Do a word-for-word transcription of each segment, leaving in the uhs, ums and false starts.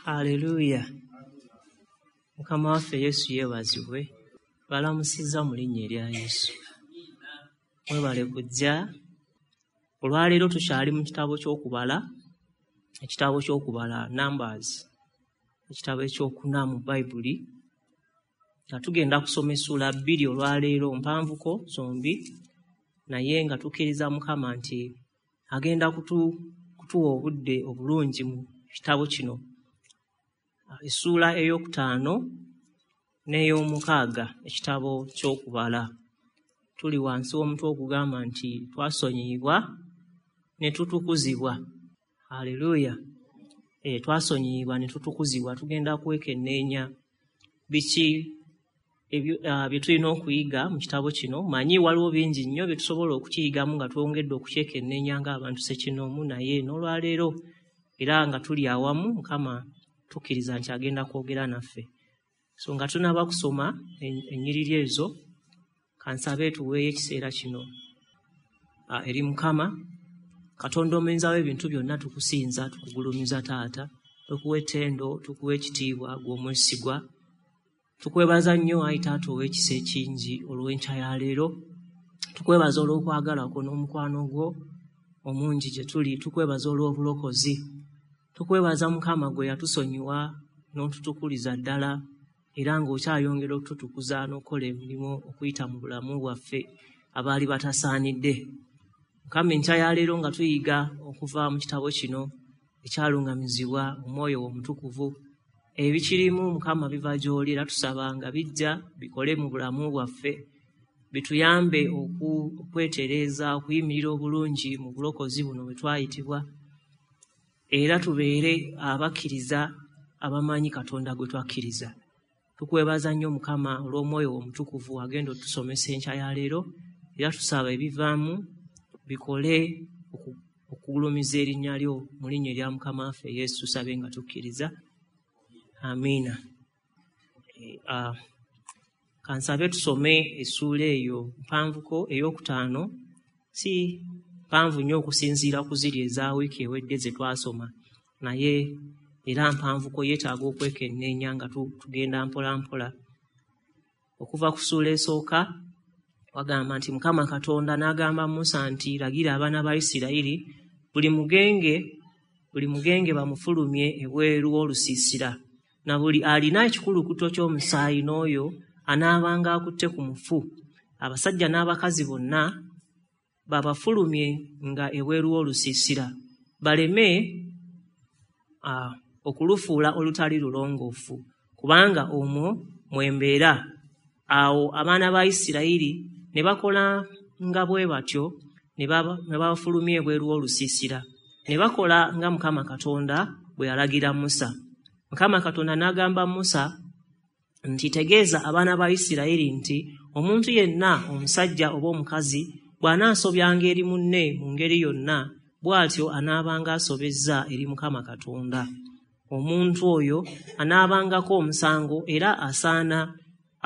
Haleluya. Mukama waffe Yesu yeebazibwe. Balamusizza mu linnya erya Yesu. Mwebale kujja. Olwaleero tukyali mu kitabo ky'okubala, ekitabo ky'okubala Numbers, ekitabo ekyokuna mu Bayibuli. Nga tugenda kusoma essuula bbiri olwaleero, mpanvuko zombi, naye nga tukkiriza Mukama nti agenda kutu, kutuwa obudde obulungi mu kitabo kino. Essuula ey'okutaano n'ey'omukaaga, ekitabo ky'okubala. Tuli wansi w'omutwe ogugamba nti twasonyiyibwa ne tutukuzibwa. Haleluya. E, twasonyiyibwa ne tutukuzibwa. Tugenda kwekenneenya biki ebyo uh, bye tulina okuyiga mu kitabo kino. Manyi waliwo bingi nnyo bye tusobola okukiyigamu nga twongedde okukyekenneenya ng'abantu ssekinnoomu, naye n'olwaleero era nga tuli awamu, Mukama tukkiriza nti agenda kwogera naffe. So nga tunaba kusoma ennyiriri ezo, kansabe tuweeyo ekiseera kino uh, eri Mukama. Katonda omuyinza w'ebintu byonna, tukusinza, tukugulumiza Taata, tukuwa ettendo, tukuwa ekitiibwa, ggwe omwesigwa. Tukwebaza nnyo ayi Taata ow'ekisa ekingi olw'enkya ya leero. Tukwebaza olw'okwagala kwo n'omukwano gwo omungi gye tuli. Tukwebaza olw'obulokozi. Tukwebaza Mukama gwe yatusonyiwa n'otutukuliza ddala, era ng'okyayongera okututukuza n'okukola emirimu okuyita mu bulamu bwaffe abaali batasaanidde. Mukama, enkya ya leero nga tuyiga okuva mu kitabo kino ekyalungamizibwa Omwoyo Omutukuvu, ebikirimu Mukama biva gy'oli, era tusaba nga bijja bikole mu bulamu bwaffe, bituyambe okwetereeza, okuyimirira obulungi mu bulokozi buno bwe twayitibwa, era tubeere abakkiriza abamanyi Katonda gwe twakkiriza. Tukwebaza nnyo Mukama olw'Omwoyo Omutukuvu agenda otusomesa enkya ya leero, era tusaba ebivaamu bikole okugulumiza erinnya lyo mu linnya erya Mukama waffe Yesu, tusabe nga tukkiriza. Amiina. E, uh, kansabe tusome essuula eyo mpanvuko ey'okutaano, si mpanvu nnyo okusinziira ku ziri eza wiiki ewedde ze twasoma, naye era mpanvuko yeetaaga okwekenneenya nga tugenda mpola mpola. Okuva ku ssuula esooka wagamba nti Mukama Katonda n'agamba Musa nti lagira abaana ba Isirayiri buli mugenge buli mugenge bamufulumye ebweru w'olusiisira, na buli alina ekikulukuto ky'omusaayi n'oyo anaabanga akutte ku mufu, abasajja n'abakazi bonna babafulumye nga ebweru w'olusiisira, baleme uh, okulufuula olutali lulongoofu, kubanga omwo mwembeera. Awo abaana ba Isirayiri ne bakola nga bwe batyo, ne babafulumya ebweru w'olusiisira, ne bakola nga Mukama Katonda bwe yalagira Musa. Mukama Katonda n'agamba Musa nti tegeeza abaana ba Isirayiri nti omuntu yenna omusajja oba omukazi bw'anaasobyanga eri munne mu ngeri yonna, bw'atyo anaabanga asobezza eri Mukama Katonda. Omuntu oyo anaabangako omusango, era asaana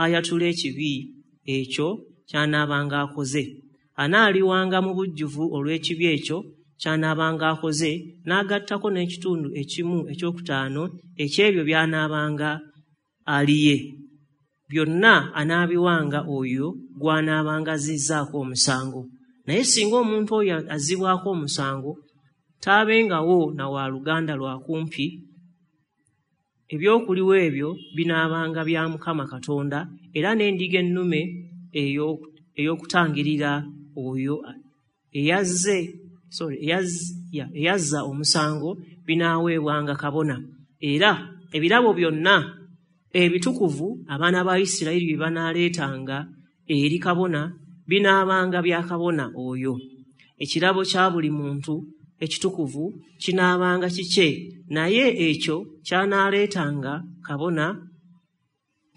ayatule ekibi ekyo ky'anaabanga akoze. Anaaliwanga mu bujjuvu olw'ekibi ekyo ky'anaabanga akoze, n'agattako n'ekitundu ekimu ekyokutaano eky'ebyo by'anaabanga aliye. Byonna anaabiwanga oyo gw'anaabanga azizzaako omusango. Naye singa omuntu oyo azzibwako omusango taabengawo na wa luganda lwa kumpi, ebyokuliwa ebyo binaabanga bya Mukama Katonda, era n'endiga ennume ey'okutangirira oyo eyazze sorry eyazza omusango binaaweebwanga kabona. Era ebirabo byonna ebitukuvu abaana ba Isirayiri bye banaaleetanga eri kabona binaabanga bya kabona oyo. Ekirabo kya buli muntu ekitukuvu kinaabanga kikye, naye ekyo ky'anaaleetanga kabona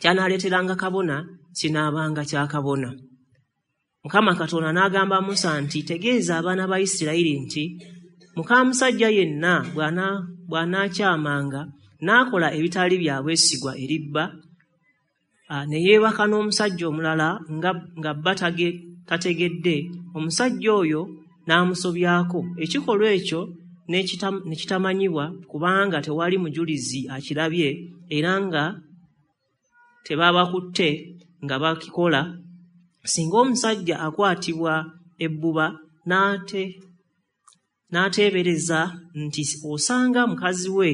ky'anaaleeteranga kabona kinaabanga kya kabona. Mukama Katonda n'agamba Musa nti tegeeza abaana ba Isirayiri nti muka musajja yenna bw'anaakyamanga n'akola ebitali bya bwesigwa eri bba, ne yeebaka n'omusajja omulala nga, nga bba tategedde, omusajja oyo n'amusobyako, ekikolwa ekyo ne kitamanyibwa, kubanga tewali mujulizi akirabye era nga tebabakutte nga bakikola, singa omusajja akwatibwa ebbuba n'ate n'ateebereza nti osanga mukazi we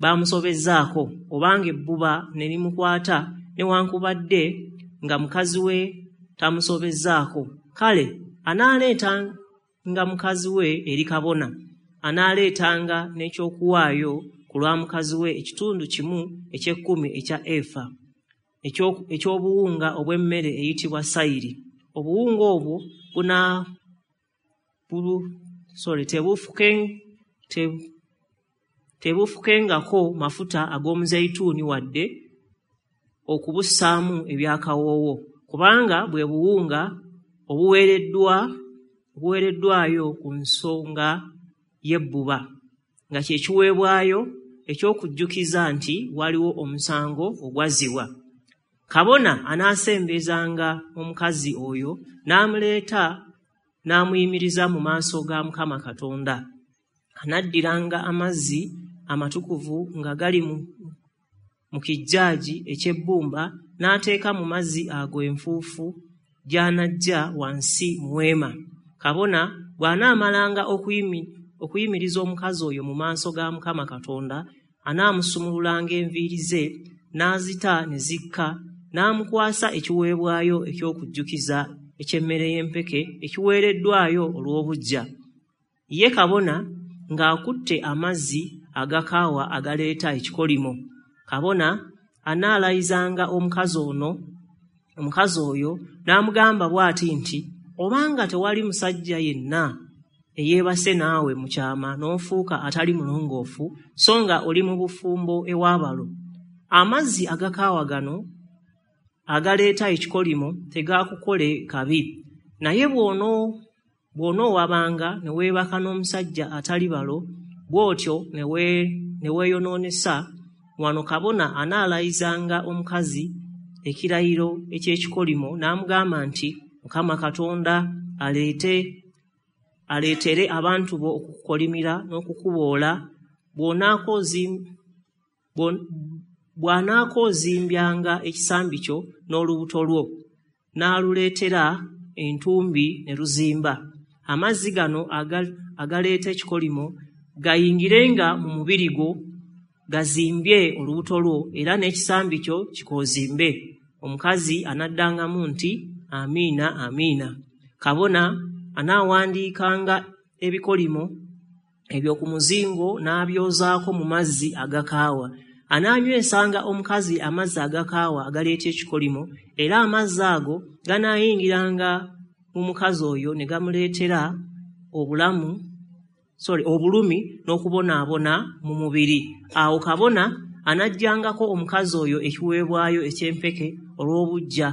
bamusobezzaako, obanga ebbuba ne limukwata newankubadde nga mukazi we tamusobezzaako, kale anaaleetanga mukazi we eri kabona, anaaleetanga n'ekyokuwaayo ku lwa mukazi we ekitundu kimu eky'ekkumi ekya efa eky'obuwunga obw'emmere eyitibwa sayiri. Obuwunga obwo buna bulu sorry tebufuke te, tebufukengako mafuta ag'omuzeyituuni wadde okubussaamu ebyakawoowo, kubanga bwe buwunga obuweereddwa obuweereddwayo ku nsonga y'ebbuba, nga kye kiweebwayo eky'okujjukiza nti waliwo omusango ogwazzibwa. Kabona anaasembezanga omukazi oyo n'amuleeta n'amuyimiriza mu maaso ga Mukama Katonda. Anaddiranga amazzi amatukuvu nga gali mu, mu kijjaaji eky'ebbumba, n'ateeka mu mazzi ago enfuufu gy'anaggya wansi mu weema. Kabona bw'anaamalanga okuyimi, okuyimiriza omukazi oyo mu maaso ga Mukama Katonda, anaamusumululanga enviiri ze n'azita ne zikka, n'amukwasa ekiweebwayo eky'okujjukiza eky'emmere y'empeke ekiweereddwayo olw'obuggya. Ye kabona ng'akutte amazzi agakaawa agaleeta ekikolimo. Kabona anaalayizanga omukazi ono omukazi oyo n'amugamba bw'ati nti, obanga tewali musajja yenna eyeebase naawe mu kyama n'ofuuka atali mulongoofu, so nga oli mu bufumbo ew'abalo, amazzi agakaawa gano agaleeta ekikolimo tegaakukole kabi. Naye bw'ono bw'onoowabanga ne weebaka n'omusajja atali balo, bw'otyo ne ne weeyonoonesa, wano kabona anaalayizanga omukazi ekirayiro eky'ekikolimo n'amugamba nti, Mukama Katonda aleete aleetere abantu bo okukukolimira n'okukuboola bw'anaakoozimbanga ekisambi kyo n'olubuto lwo, n'aluleetera entumbi ne luzimba. Amazzi gano agaleeta ekikolimo gayingirenga mu mubiri gwo, gazimbye olubuto lwo, era n'ekisambi kyo kikoozimbe. Omukazi anaddangamu nti, amiina, amiina. Kabona anaawandiikanga ebikolimo ebyo ku muzingo n'abyozaako mu mazzi agakaawa. Anaanywesanga omukazi amazzi agakaawa agaleeta ekikolimo, era amazzi ago ganaayingiranga mu mukazi oyo ne gamuleetera obulamu sorry obulumi n'okubonaabona mu mubiri. Awo kabona anaggyangako omukazi oyo ekiweebwayo eky'empeke olw'obuggya.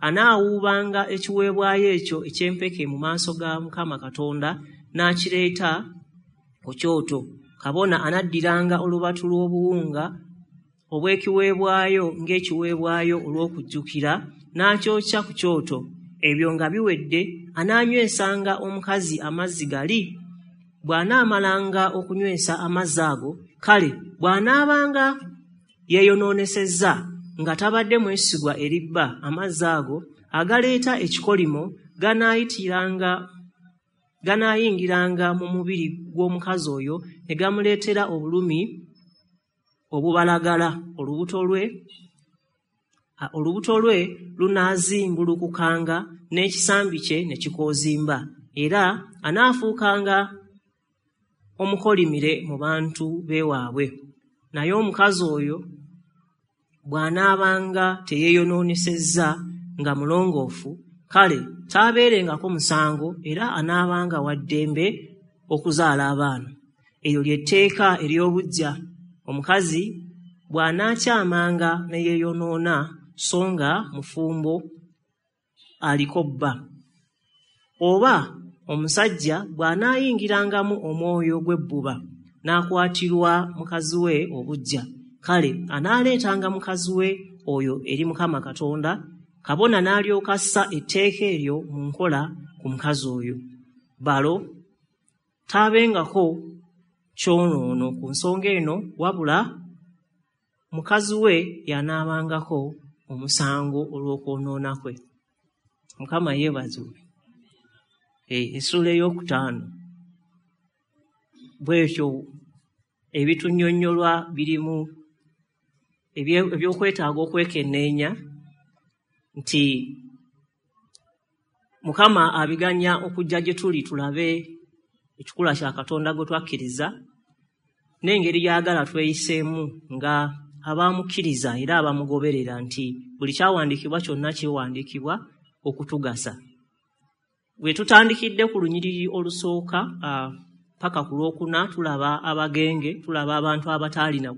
Anaawuubanga ekiweebwayo ekyo eky'empeke mu maaso ga Mukama Katonda n'akireeta ku kyoto. Kabona anaddiranga olubatu lw'obuwunga obw'ekiweebwayo ng'ekiweebwayo olw'okujjukira n'akyokya ku kyoto. Ebyo nga biwedde, anaanywesanga omukazi amazzi gali. Bw'anaamalanga okunywesa amazzi ago, kale bw'anaabanga yeeyonoonesezza nga tabadde mwesigwa eri bba, amazzi ago agaleeta ekikolimo ganaayitiranga ganaayingiranga mu mubiri gw'omukazi oyo ne gamuleetera obulumi obubalagala. Olubuto lwe olubuto lwe lunaazimbulukukanga n'ekisambi kye ne kikoozimba, era anaafuukanga omukolimire mu bantu b'ewaabwe. Naye omukazi oyo bw'anaabanga teyeeyonoonesezza nga mulongoofu, kale taabeerengako musango, era anaabanga wa ddembe okuzaala abaana. Eryo ly'etteeka ery'obuggya. Omukazi bw'anaakyamanga ne yeeyonoona so nga mufumbo aliko bba, oba omusajja bw'anaayingirangamu omwoyo gw'ebbuba n'akwatirwa mukazi we obuggya, kale anaaleetanga mukazi we oyo eri Mukama Katonda, kabona n'alyoka assa etteeka eryo mu nkola ku mukazi oyo. Balo taabengako kyonoono ku nsonga eno, wabula mukazi we yanaabangako omusango olw'okwonoona kwe. Mukama yeebazibwe. Essuula ey'okutaano bwetyo ebitunnyonnyolwa birimu ebyokwetaaga okwekenneenya nti Mukama abiganya okujja gye tuli tulabe ekikula kya Katonda gwe twakkiriza n'engeri gy'ayagala tweyiseemu nga abamukkiriza era abamugoberera, nti buli kyawandiikibwa kyonna kiwandiikibwa okutugasa. Bwe tutandikidde ku lunyiriri olusooka paka ku lwokuna tulaba abagenge, tulaba abantu abataalina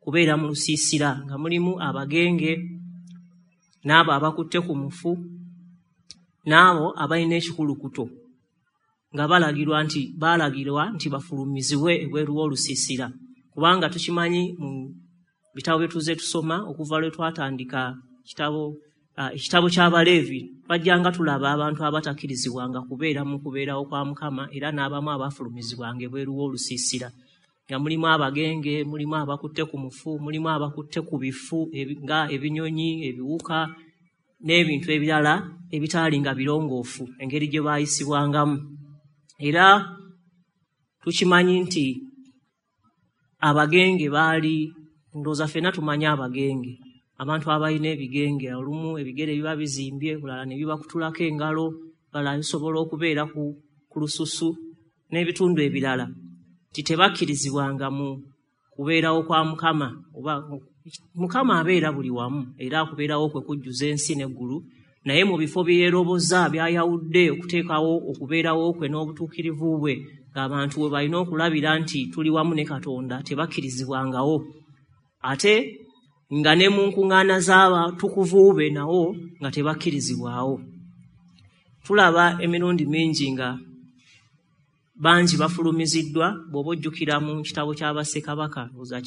kubeera mu lusiisira nga mulimu abagenge n'abo abakutte ku mufu n'abo abalina ekikulukuto, nga balagirwa nti baalagirwa nti bafulumizibwe ebweru w'olusiisira, kubanga tukimanyi mu bitabo bye tuzze tusoma okuva lwe twatandika kitabo ekitabo ky'Abaleevi, twajjanga tulaba abantu abatakkirizibwanga kubeera mu kubeerawo kwa Mukama era n'abamu abafulumizibwanga ebweru w'olusiisira, nga mulimu abagenge, mulimu abakutte ku mufu, mulimu abakutte ku bifu nga ebinyonyi, ebiwuka n'ebintu ebirala ebitaali nga birongoofu engeri gye baayisibwangamu. Era tukimanyi nti abagenge baali, ndowooza ffenna tumanyi abagenge, abantu abalina ebigenge, olumu ebigere biba bizimbye, bulala ne bibakutulako engalo, balala bisobola okubeera ku, ku lususu n'ebitundu ebirala, nti tebakkirizibwanga mu kubeerawo kwa Mukama. Oba Mukama abeera buli wamu era akubeerawo kwe kujjuza ensi n'eggulu, naye mu bifo bye yeeroboza by'ayawudde okuteekawo okubeerawo kwe n'obutuukirivu bwe, ng'abantu we balina okulabira nti tuli wamu ne Katonda, tebakkirizibwangawo. Ate nga ne mu nkuŋŋaana z'abatukuvu be nawo nga tebakkirizibwawo. Tulaba emirundi mingi nga bangi bafulumiziddwa, bw'oba ojjukira mu kitabo ky'Abassekabaka oza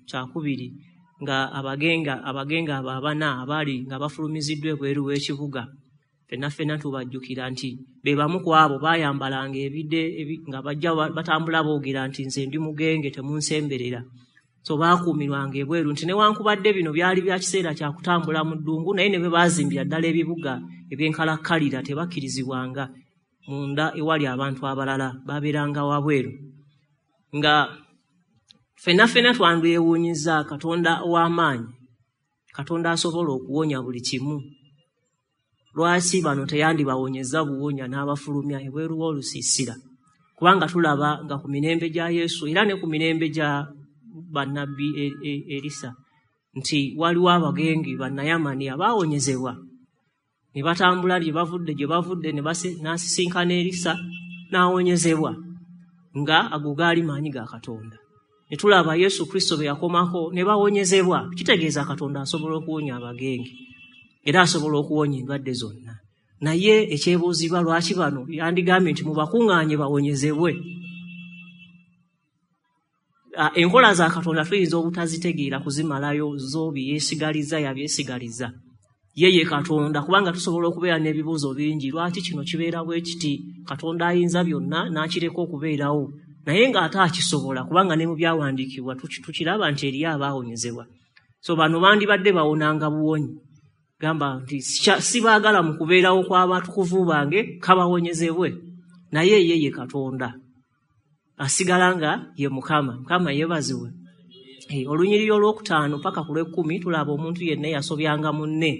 kyakubiri, nga abagenga abagenga abo abana abaali nga bafulumiziddwa ebweru w'ekibuga, ffenna ffenna tubajjukira nti be bamu ku abo baayambalanga ebide nga bajja batambula boogera nti nze ndi mugenge temunsemberera. So baakuumirwanga ebweru nti newankubadde bino byali bya kiseera kya kutambula mu ddungu, naye ne bwe baazimbira ddala ebibuga ebyenkalakkalira tebakkirizibwanga munda ewali abantu abalala, babeeranga wabweru. Nga ffenna ffenna twandyewuunyizza Katonda ow'amaanyi, Katonda asobola okuwonya buli kimu, lwaki bano teyandibawonyezza buwonya n'abafulumya ebweru w'olusiisira? Kubanga tulaba nga ku mirembe gya Yesu era ne ku mirembe gya bannabbi Erisa nti waliwo abagenge bannayamani abaawonyezebwa ne batambula gye bavudde gye bavudde ne n'asisinkana Erisa n'awonyezebwa, nga ago gaali maanyi ga Katonda. Ne tulaba Yesu Kristo bwe yakomako ne bawonyezebwa. Kitegeeza Katonda asobola okuwonya abagenge era asobola okuwonya endwadde zonna. Naye ekyebuuzibwa lwaki bano yandigambye nti mubakuŋŋaanye bawonyezebwe? Enkola za Katonda tuyinza obutazitegeera kuzimalayo, zo byeyesigaliza yabyesigaliza. Ye ye Katonda, kubanga tusobola okubeera n'ebibuuzo bingi, lwaki kino kibeera bwe kiti? Katonda ayinza byonna n'akireka okubeerawo, naye ng'ate akisobola, kubanga ne mu byawandiikibwa tukiraba nti eriyo abaawonyezebwa. So bano bandibadde bawonanga buwonyi, gamba nti sibaagala mu kubeerawo kw'abatukuvu bange kabawonyezebwe, naye ye ye Katonda asigala nga ye Mukama. Mukama yeebazibwe. Olunyiriri olwokutaano paka ku lw'ekkumi tulaba omuntu yenna eyasobyanga munne,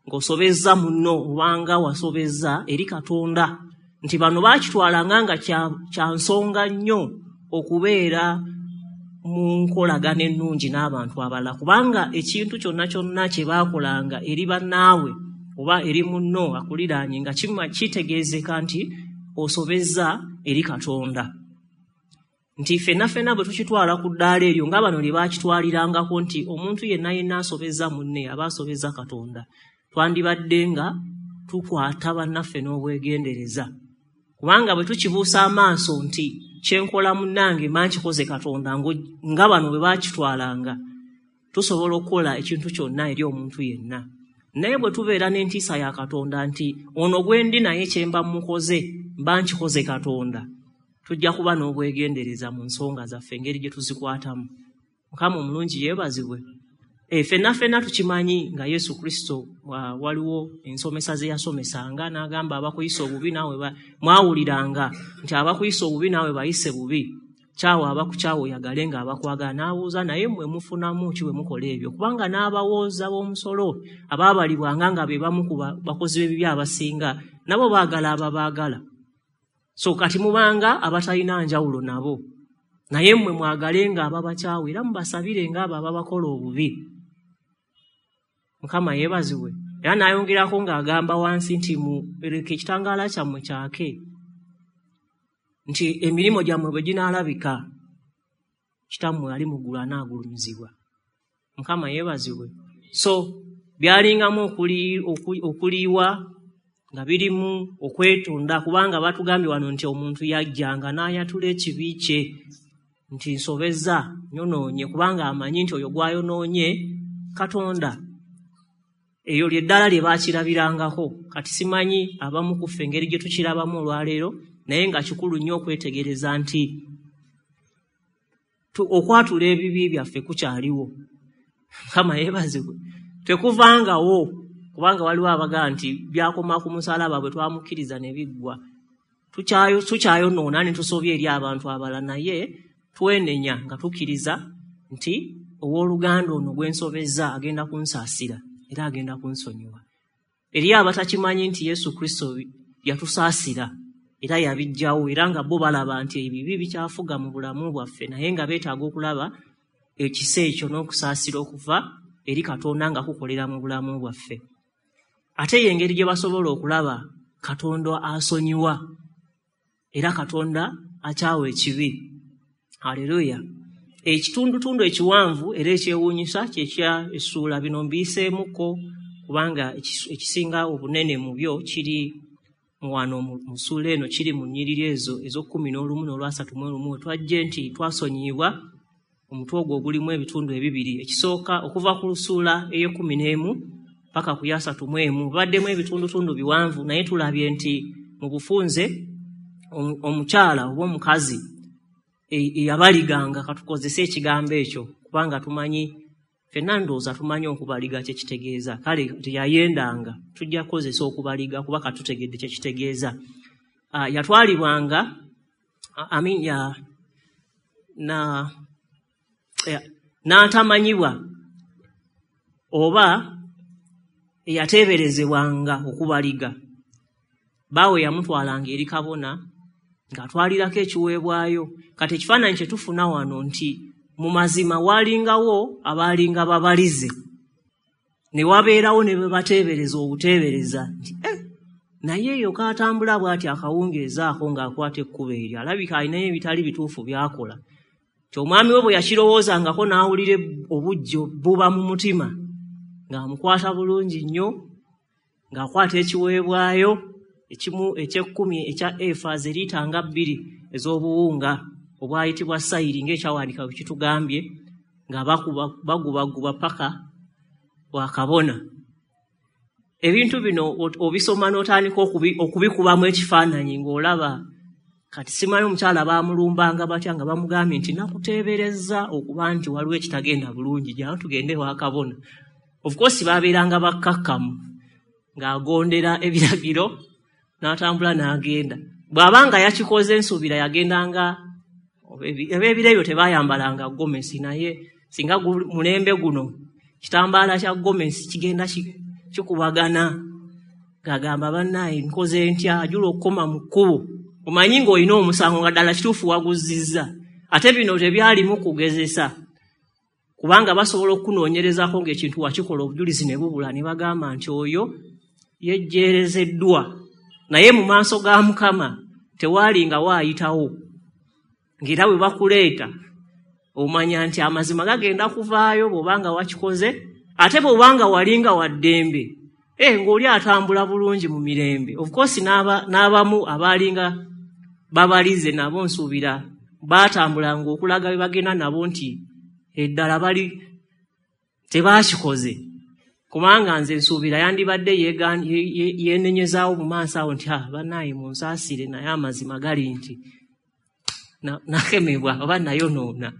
ng'osobezza munno obanga wasobezza eri Katonda, nti bano baakitwalanga nga kya nsonga nnyo okubeera mu nkolagana ennungi n'abantu abalala, kubanga ekintu kyonna kyonna kye baakolanga eri bannaabwe oba eri munno akuliraanye nga kitegeezeka nti osobezza eri Katonda. Nti ffenna ffenna bwe tukitwala ku ddaala eryo nga bano lye baakitwalirangako nti omuntu yenna yenna asobezza munne aba asobezza Katonda, twandibadde nga tukwata bannaffe n'obwegendereza, kubanga bwe tukibuusa amaaso nti kyenkola munnange mba nkikoze Katonda, nga bano bwe baakitwalanga, tusobola okukola ekintu kyonna eri omuntu yenna. Naye bwe tubeera n'entiisa ya Katonda nti ono gwe ndi naye kye mba mukoze mba nkikoze Katonda, Tujja kuba n'obwegendereza mu nsonga zaffe engeri gye tuzikwatamu. Mukama omulungi yeebazibwe. E, ffenna ffenna tukimanyi nga Yesu Kristo wa, waliwo ensomesa ze yasomesanga n'agamba abakuyisa obubi naawe mwawuliranga nti abakuyisa obubi naawe bayise bubi, kyawa abakukyawa oyagale nga abakwagala. N'abuuza naye mmwe mufunamu ki bwe mukola ebyo? Kubanga n'abawooza b'omusolo abaabalibwanga nga be bamu ku bakozi b'ebibi abasinga nabo baagala ababaagala. So kati mubanga abatalina njawulo nabo, naye mmwe mwagale nga ababakyawa era mubasabire nga abo ababakola obubi. Mukama yeebazibwe. Era n'ayongerako ng'agamba wansi nti muleke ekitangaala kyammwe kyake, nti emirimu gyammwe bwe ginaalabika kitammwe ali mu ggulu anaagulumizibwa. Mukama yeebazibwe. So byalingamu okuliiwa nga birimu okwetonda, kubanga batugambye wano nti omuntu yajjanga n'ayatula ekibi kye nti nsobezza nyonoonye, kubanga amanyi nti oyo gw'ayonoonye Katonda. Eyo lye ddala lye baakirabirangako. Kati simanyi abamu ku ffe engeri gye tukirabamu olwaleero, naye nga kikulu nnyo okwetegereza nti okwatula ebibi byaffe kukyaliwo. Mukama yeebazibwe. Tekuvangawo, kubanga waliwo abagamba nti byakoma ku musalaba bwe twamukkiriza ne biggwa. Tukyayonoona ne tusobya eri abantu abalala, naye twenenya nga tukkiriza nti owooluganda ono gwe nsobezza agenda kunsaasira era agenda kunsonyiwa. Eri abatakimanyi nti Yesu Kristo yatusaasira era yabiggyawo, era nga bo balaba nti ebibi bikyafuga mu bulamu bwaffe, naye nga beetaaga okulaba ekisa ekyo n'okusaasira okuva eri Katonda nga kukolera mu bulamu bwaffe. Ate ye engeri gye basobola okulaba Katonda asonyiwa era Katonda akyawa ekibi. Haleluya. Ekitundutundu ekiwanvu era ekyewuunyisa kyekya essuula bino mbiyiseemuko, kubanga ekisinga obunene mu byo kiri wano mu ssuula eno, kiri mu nnyiriri ezo ez'okkumi n'olumu n'olwasatu mu olumu. Twajje nti twasonyiyibwa omutwe ogwo ogulimu ebitundu ebibiri. Ekisooka okuva ku ssuula ey'ekkumi n'emu paka ku yasatu mu emu baddemu ebitundutundu biwanvu, naye tulabye nti mu bufunze omukyala oba omukazi eyabaliganga, katukozese ekigambo ekyo kubanga tumanyi ffenna, ndowooza tumanyi okubaliga kye kitegeeza. Kale teyayendanga, tujja kukozesa okubaliga kuba katutegedde kye kitegeeza. Yatwalibwanga I mean, ya, na n'atamanyibwa oba eyateeberezebwanga okubaliga. Baawe yamutwalanga eri kabona ng'atwalirako ekiweebwayo. Kati ekifaananyi kye tufuna wano nti mu mazima walingawo abaalinga babalize, ne wabeerawo ne be bateebereza obuteebereza nti eh, naye eyo kaatambula bw'ati akawungeezaako ng'akwata ekkubo eryo, alabika alinayo ebitali bituufu by'akola. Ti omwami we bwe yakirowoozangako n'awulira obuggyo buba mu mutima, ng'amukwata bulungi nnyo, ng'akwata ekiweebwayo ekimu eky'ekkumi ekya efa zeriita nga bbiri ez'obuwunga obwayitibwa sayiri ng'ekyawandiika bwe kitugambye, nga bagubaguba paka wakabona. Ebintu bino obisoma n'otandika okubikubamu ekifaananyi ng'olaba. Kati simanyi omukyala baamulumbanga batya nga bamugambye nti nakuteeberezza okuba nti waliwo ekitagenda bulungi, jangu tugende wakabona. Of course baabeeranga bakkakkamu, ng'agondera ebiragiro n'atambula n'agenda. Bw'abanga yakikoze ensuubira yagendanga, eb'ebiro ebyo tebaayambalanga gomesi, naye singa mulembe guno kitambaala kya gomesi kigenda kikubagana, ng'agamba bannaaye nkoze ntya, ajula okukoma mu kkubo. Omanyi ng'olina omusango nga ddala kituufu waguzizza. Ate bino tebyalimu kugezesa, kubanga basobola okunoonyerezaako ng'ekintu wakikola obujulizi ne bubula, ne bagamba nti oyo yejjeerezeddwa. Naye mu maaso ga Mukama tewaali nga waayitawo, ng'era bwe bakuleeta omanya nti amazima gagenda kuvaayo bw'obanga wakikoze. Ate bw'obanga walinga wa ddembe, eh, ng'oli atambula bulungi mu mirembe. Of course n'abamu abaalinga babalize nabo nsuubira baatambulanga okulaga bye bagenda nabo nti eddala bali tebaakikoze, kubanga nze nsuubira yandibadde yeenenyezaawo mu maaso awo nti ah, bannaaye munsaasire, naye amazima gali nti Nakemebwa oba nayonoona.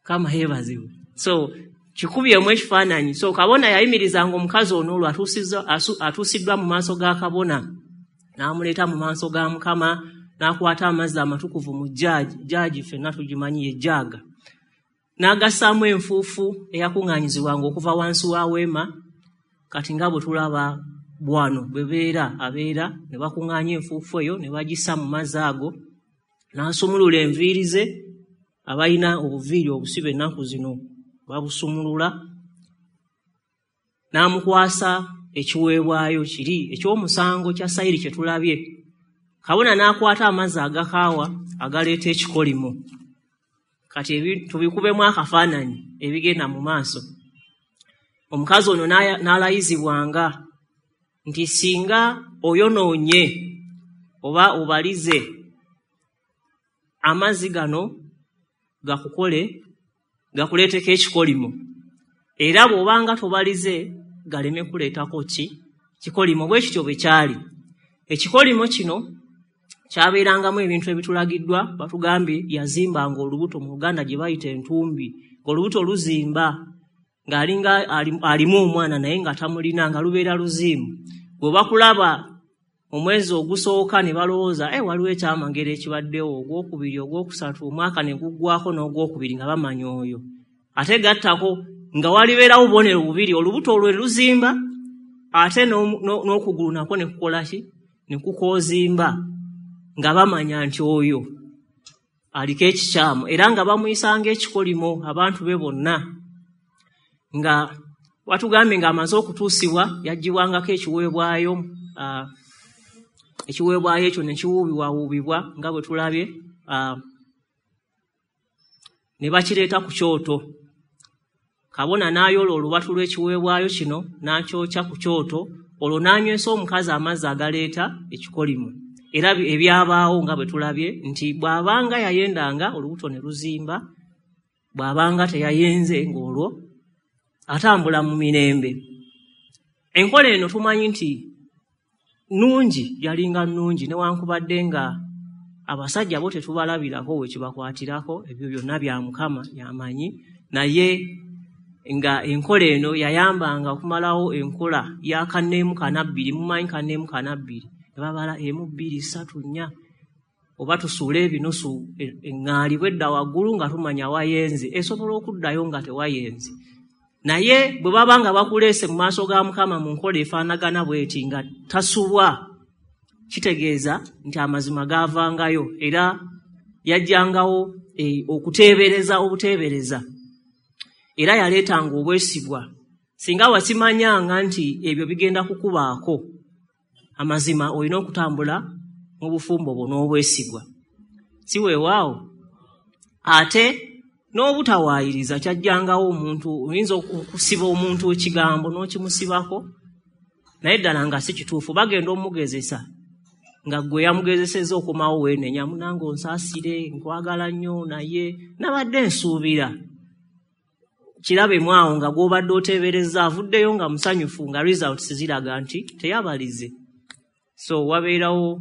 Mukama yeebazibwe. So kikubyemu ekifaananyi. So kabona yayimirizanga omukazi ono olwo atuusiddwa mu maaso ga kabona, n'amuleeta mu maaso ga Mukama, n'akwata amazzi amatukuvu mu jaaji, jaaji ffenna tugimanyi ye jaaga, n'agassaamu enfuufu eyakuŋŋaanyizibwanga okuva wansi wa weema. Kati nga bwe tulaba bwano bwe beera abeera ne bakuŋŋaanya enfuufu eyo ne bagissa mu mazzi ago, n'asumulula enviiri ze. Abalina obuviiri obusibe ennaku zino babusumulula, n'amukwasa ekiweebwayo kiri eky'omusango kya sayiri kye tulabye. Kabona n'akwata amazzi agakaawa agaleeta ekikolimo. Kati tubikubemu akafaananyi ebigenda mu maaso. Omukazi ono n'alayizibwanga nti singa oyonoonye oba obalize, amazzi gano gakukole gakuleeteko ekikolimo, era bw'obanga tobalize galeme kuleetako ki kikolimo. Bwe kityo bwe kyali. Ekikolimo kino kyabeerangamu ebintu ebitulagiddwa. Batugambye yazimbanga olubuto, mu Luganda gye bayita entumbi, ng'olubuto luzimba ng'alinga alimu omwana naye nga tamulina, nga lubeera luziimu. Bwe bakulaba omwezi ogusooka ne balowooza eh, waliwo ekyamagero ekibaddewo, ogwokubiri, ogwokusatu, omwaka ne guggwako n'ogwokubiri nga bamanya oyo. Ate gattako nga walibeerawo bubonero bubiri, olubuto olwo ne luzimba ate n'okugulu nakwo ne kukola ki, ne kukoozimba, nga bamanya nti oyo aliko ekikyamu, era nga bamuyisanga ekikolimo abantu be bonna. Nga watugambye ng'amaze okutuusibwa yaggyibwangako ekiweebwayo, uh, ekiweebwayo ekyo ne kiwuubibwawuubibwa nga bwe tulabye, uh, ne bakireeta ku kyoto. Kabona n'ayoola olubatu lw'ekiweebwayo kino n'akyokya ku kyoto, olwo n'anywesa omukazi amazzi agaleeta ekikolimo. Era ebyabaawo nga bwe tulabye nti bw'abanga yayendanga olubuto ne luzimba, bw'abanga teyayenze ng'olwo atambula mu mirembe. Enkola eno tumanyi nti nnungi, yalinga nnungi, newankubadde nga abasajja bo tetubalabirako we kibakwatirako, ebyo byonna bya Mukama yamanyi, naye nga enkola eno yayambanga okumalawo enkola ya kanneemu kanabbiri. Mumanyi kanneemu kanabbiri, ne babala emu bbiri ssatu nnya, oba tusuule ebinusu eŋŋaali bwedda waggulu nga tumanya wayenze, esobola okuddayo nga tewayenze. Naye bwe baba nga bakuleese mu maaso ga Mukama mu nkola efaanagana bw'eti nga tasubwa, kitegeeza nti amazima gaavangayo, era yajjangawo e, okuteebereza obuteebereza, era yaleetanga obwesigwa. Singa wakimanyanga nti ebyo bigenda kukubaako, amazima olina okutambula mu bufumbo bwo n'obwesigwa, si weewaawo? Ate n'obutawaayiriza kyajjangawo omuntu, oyinza okusiba omuntu ekigambo n'okimusibako naye ddala nga si kituufu. Bagenda omugezesa nga gwe yamugezesezza okomawo weenenya, munange onsaasire, nkwagala nnyo naye nabadde nsuubira. Kirabemu awo nga gw'obadde oteebereza avuddeyo nga musanyufu, nga results ziraga nti teyabalize. So wabeerawo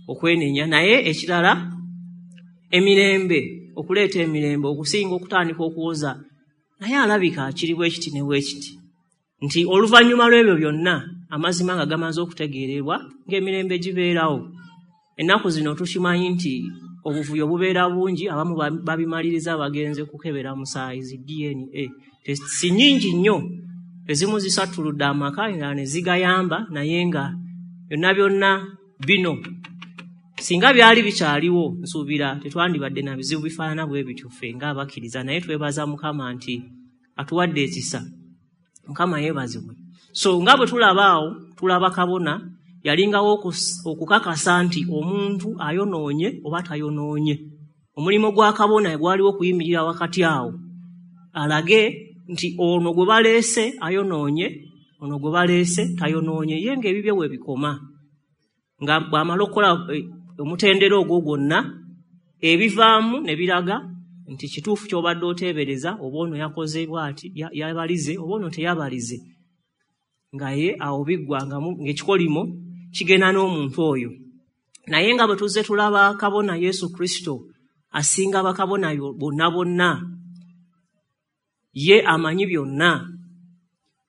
okwenenya. Naye ekirala, emirembe, okuleeta emirembe okusinga okutandika okuwoza naye alabika kiri bwe kiti ne bwe kiti, nti oluvannyuma lw'ebyo byonna amazima nga gamaze okutegeererwa ng'emirembe gibeerawo. Ennaku zino tukimanyi nti obuvuyo bubeera bungi, abamu babimaliriza bagenze kukebera musaayi, zi D N A si nnyingi nnyo, ezimu zisattuludde amaka, endala ne zigayamba, naye nga byonna byonna bino singa byali bikyaliwo nsuubira tetwandibadde na bizibu bifaanana bwe bityo ffe ng'abakkiriza. Naye twebaza Mukama nti atuwadde ekisa. Mukama yeebazibwe. So nga bwe tulaba awo, tulaba kabona yalingawo okukakasa nti omuntu ayonoonye oba tayonoonye. Omulimu gwa kabona gwaliwo okuyimirira wakati awo alage nti ono gwe baleese ayonoonye, ono gwe baleese tayonoonye, ye ng'ebibye we bikoma. Nga bw'amala okukola omutendera ogwo gwonna, ebivaamu ne biraga nti kituufu ky'obadde oteebereza, oba ono yakoze bw'ati, yabalize, oba ono teyabalize, nga ye awo biggwa ng'ekikolimo kigenda n'omuntu oyo. Naye nga bwe tuzze tulaba kabona Yesu Kristo asinga bakabona bonna bonna, ye amanyi byonna,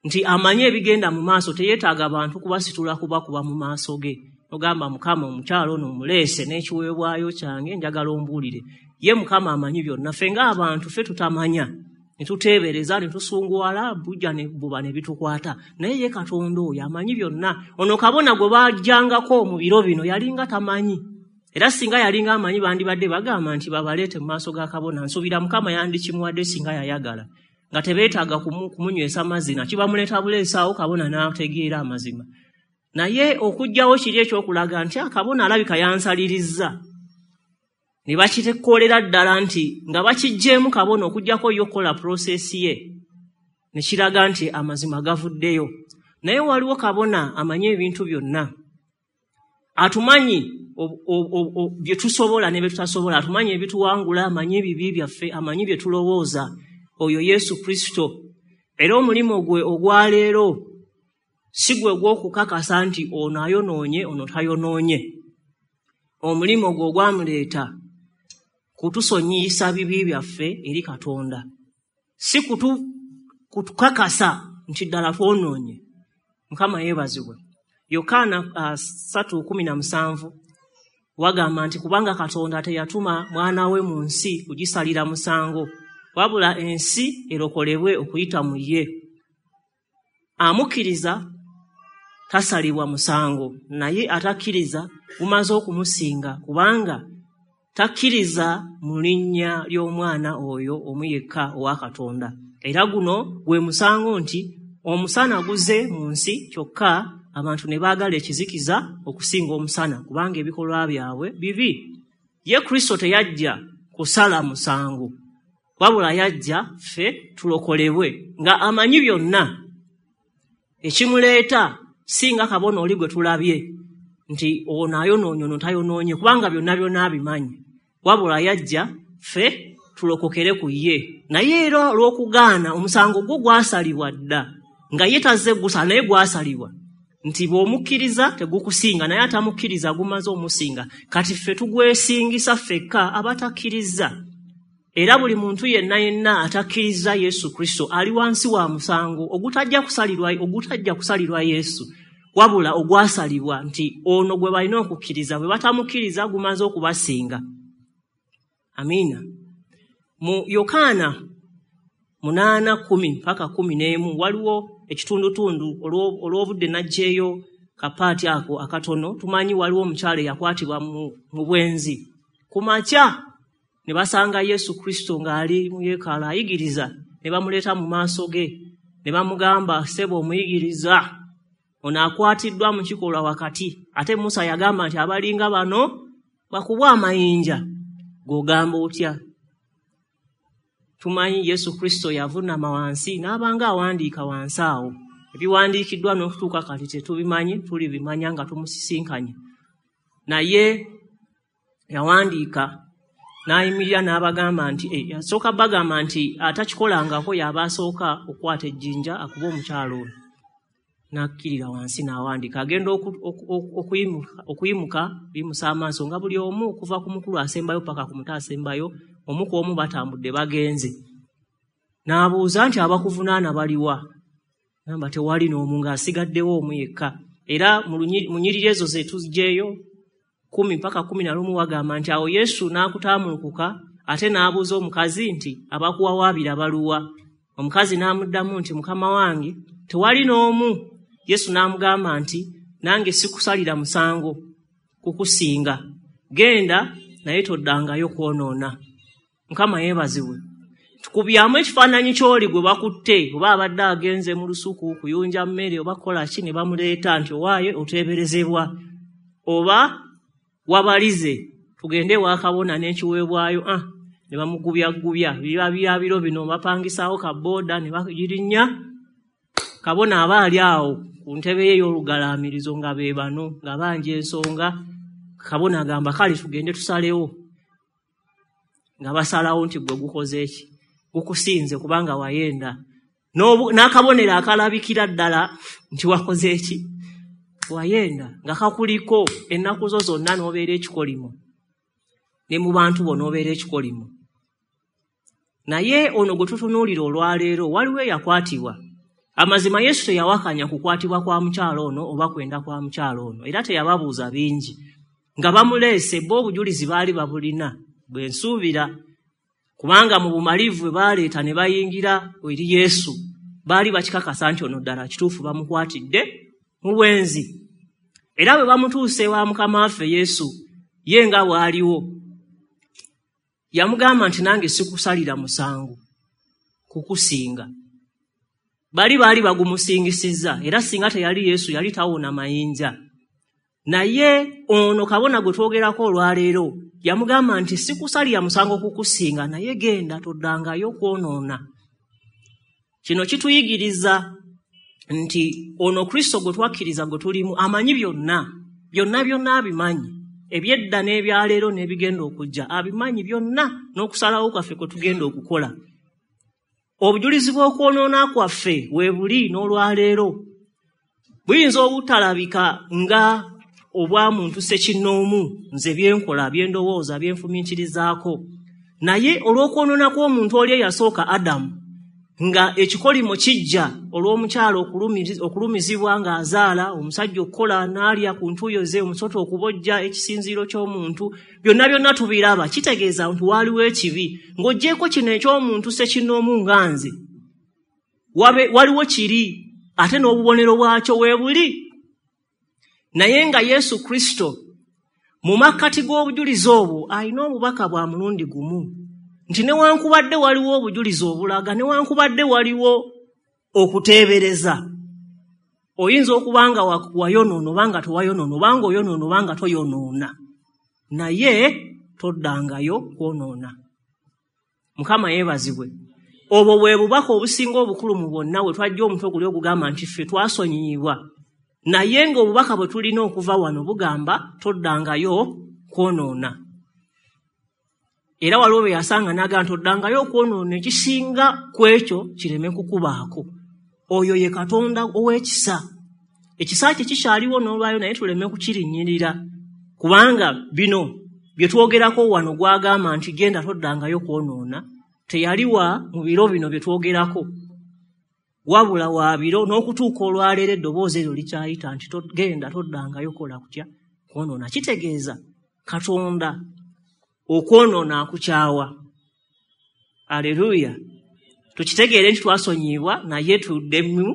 nti amanyi ebigenda mu maaso, teyeetaaga bantu kubasitula kubakuba mu maaso ge. Ogamba Mukama omukyalo ono omuleese n'ekiweebwayo kyange njagala ombuulire. Ye Mukama amanyi byonna, ffe ng'abantu ffe tutamanya, ne tuteebereza ne tusunguwala, bujja ne buba ne bitukwata. Naye ye Katonda oyo amanyi byonna. Ono kabona gwe bajjangako mu biro bino yalinga tamanyi, era singa yalinga amanyi bandibadde bagamba nti babaleete mu maaso ga kabona. Nsuubira Mukama yandikimuwadde singa yayagala, nga tebeetaaga kumunywesa mazzi, kibamuleeta buleesaawo kabona n'ategeera amazima. Naye okuggyawo kiri ekyokulaga nti akabona alabika yansalirizza, ne bakitekolera ddala nti nga bakiggyeemu kabona okuggyako ye okukola process ye, ne kiraga nti amazima gavuddeyo. Naye waliwo kabona amanyi ebintu byonna, atumanyi bye tusobola ne bye tutasobola, atumanyi ebituwangula, amanyi ebibi byaffe, amanyi bye tulowooza. Oyo Yesu Kristo. Era omulimu gwe ogwaleero si gwe gw'okukakasa nti ono ayonoonye ono tayonoonye. Omulimu gwe ogwamuleeta kutusonyiyisa bibi byaffe eri Katonda, si kutu kutukakasa nti ddala twonoonye. Mukama yeebazibwe. Yokaana uh, ssatu kumi na musanvu wagamba nti kubanga Katonda teyatuma mwana we mu nsi kugisalira musango, wabula ensi erokolebwe okuyita mu ye. Amukkiriza tasalibwa musango, naye atakkiriza gumaze okumusinga, kubanga takkiriza mu linnya ly'omwana oyo omu yekka owa Katonda. Era guno gwe musango nti omusana guze mu nsi, kyokka abantu ne baagala ekizikiza okusinga omusana, kubanga ebikolwa byabwe bibi. Ye Kristo teyajja kusala musango, wabula yajja ffe tulokolebwe, nga amanyi byonna. Ekimuleeta si nga kabona oli gwe tulabye nti ono ayonoonye ono tayonoonye, kubanga byonna byonna abimanyi, wabula yajja ffe tulokokere ku ye. Naye era olw'okugaana omusango gwo gwasalibwa dda, nga ye tazze gusala, naye gwasalibwa nti bw'omukkiriza tegukusinga, naye atamukkiriza gumaze omusinga. Kati ffe tugwesingisa ffekka abatakkiriza. Era buli muntu yenna yenna atakkiriza Yesu Kristo ali wansi wa musango ogutajja kusalirwa, ogutajja kusalirwa Yesu, wabula ogwasalibwa nti ono gwe balina okukkiriza, bwe batamukkiriza gumaze okubasinga. Amiina. Mu Yokaana munaana kumi mpaka kumi n'emu waliwo ekitundutundu olw'obudde n'aggyeyo kapaati ako akatono. Tumanyi waliwo omukyala eyakwatibwa mu bwenzi ku makya, ne basanga Yesu Kristo ng'ali mu yeekaalu ayigiriza, ne bamuleeta mu maaso ge, ne bamugamba, ssebo omuyigiriza, ono akwatiddwa mu kikolwa wakati, ate Musa yagamba nti abalinga bano bakubwa amayinja, g'ogamba otya? Tumanyi Yesu Kristo yavunnama wansi n'abanga awandiika wansi awo. Ebiwandiikiddwa n'okutuuka kati tetubimanyi, tulibimanya nga tumusisinkanye. Naye yawandiika n'ayimirira n'abagamba nti eh, yasooka bagamba nti atakikolangako y'aba asooka okukwata ejjinja akube omukyalo ono. N'akkirira wansi n'awandiika, agenda okuyimuka bimusa amaaso nga buli omu okuva ku mukulu asembayo paka ku muto asembayo, omu ku omu batambudde bagenze. N'abuuza nti abakuvunaana baliwa? Namba tewali n'omu, ng'asigaddewo omu yekka. Era mu nnyiriri ezo ze tuggyeyo kumi mpaka kumi na lumu wagamba nti awo Yesu n'akutaamulukuka ate n'abuuza omukazi nti abakuwawaabira baluwa? Omukazi n'amuddamu nti Mukama wange tewali n'omu. Yesu n'amugamba nti nange sikusalira musango kukusinga, genda naye toddangayo kwonoona. Mukama yeebazibwe. Tukubyamu ekifaananyi ky'oli gwe bakutte, oba abadde agenze mu lusuku kuyunja mmere oba kukola ki, ne bamuleeta nti owaaye oteeberezebwa oba wabalize, tugende ewa kabona n'ekiweebwayo. Ah, ne bamugubyagubya biba bya biro bino, bapangisaawo kabooda ne bagirinnya. Kabona aba ali awo ku ntebe ye ey'olugalaamirizo nga be bano nga banja ensonga. Kabona agamba kale tugende tusalewo, nga basalawo nti gwe gukoze eki, gukusinze kubanga wayenda. N'akabonero akalabikira ddala nti wakoze eki, Wayenda nga kakuliko ennaku zo zonna n'obeera ekikolimo, ne mu bantu bo n'obeera ekikolimo. Naye ono gwe tutunuulira olwaleero waliwo eyakwatibwa. Amazima Yesu teyawakanya kukwatibwa kwa mukyala ono oba kwenda kwa mukyala ono, era teyababuuza bingi. Nga bamuleese bo obujulizi baali babulina, bwe nsuubira, kubanga mu bumalivu bwe baleeta ne bayingira eri Yesu, baali bakikakasa nti ono ddala kituufu bamukwatidde mu bwenzi. Era bwe bamutuuse ewa Mukama waffe Yesu, ye nga bw'aliwo, yamugamba nti nange sikusalira musango kukusinga. Bali baali bagumusingisizza, era singa teyali Yesu yali tawona mayinja. Naye ono kabona gwe twogerako olwaleero yamugamba nti sikusalira musango kukusinga, naye genda toddangayo kwonoona. Kino kituyigiriza nti ono Kristo gwe twakkiriza gwe tulimu amanyi byonna, byonna byonna abimanyi, ebyedda n'ebyaleero n'ebigenda okujja abimanyi byonna, n'okusalawo kwaffe kwe tugenda okukola. Obujulizi bw'okwonoona kwaffe we buli n'olwaleero buyinza obutalabika nga obwa muntu ssekinnoomu, nze byenkola, byendowooza, byenfumiitirizaako, naye olw'okwonoona kw'omuntu oli eyasooka Adamu, nga ekikolimo kijja olw'omukyala okulumizibwa ng'azaala, omusajja okukola n'alya ku ntuuyo ze, omusota okubojja ekisinziiro ky'omuntu, byonna byonna tubiraba. Kitegeeza nti waaliwo ekibi. Ng'oggyeko kino eky'omuntu ssekinnoomu nga nze, waliwo kiri, ate n'obubonero bwakyo weebuli. Naye nga Yesu Kristo mu makkati g'obujulizi obwo alina obubaka bwa mulundi gumu, nti newankubadde waliwo obujulizi obulaga, newankubadde waliwo okuteebereza, oyinza okuba nga wayonoona oba nga tewayonoona, oba nga oyonoona oba nga toyonoona, naye toddangayo kwonoona. Mukama yeebazibwe. Obwo bwe bubaka obusinga obukulu mu bwonna, we twajja omutwe guli ogugamba nti ffe twasonyiyibwa, naye ng'obubaka bwe tulina okuva wano bugamba toddangayo kwonoona. Era waliwo bwe yasanga n'agamba nti oddangayo okwonoona, ekisinga ku ekyo kireme kukubaako. Oyo ye Katonda ow'ekisa. Ekisa kye kikyaliwo n'olwayo, naye tuleme kukirinnyirira, kubanga bino bye twogerako wano gw'agamba nti genda toddangayo kwonoona, teyaliwa mu biro bino bye twogerako, wabula wa biro n'okutuuka olwaleero eddoboozi eryo likyayita nti genda toddangayo kola kutya kwonoona. Kitegeeza Katonda okwonoona akukyawa. Aleluya. Tukitegeere nti twasonyiyibwa, naye tuddemu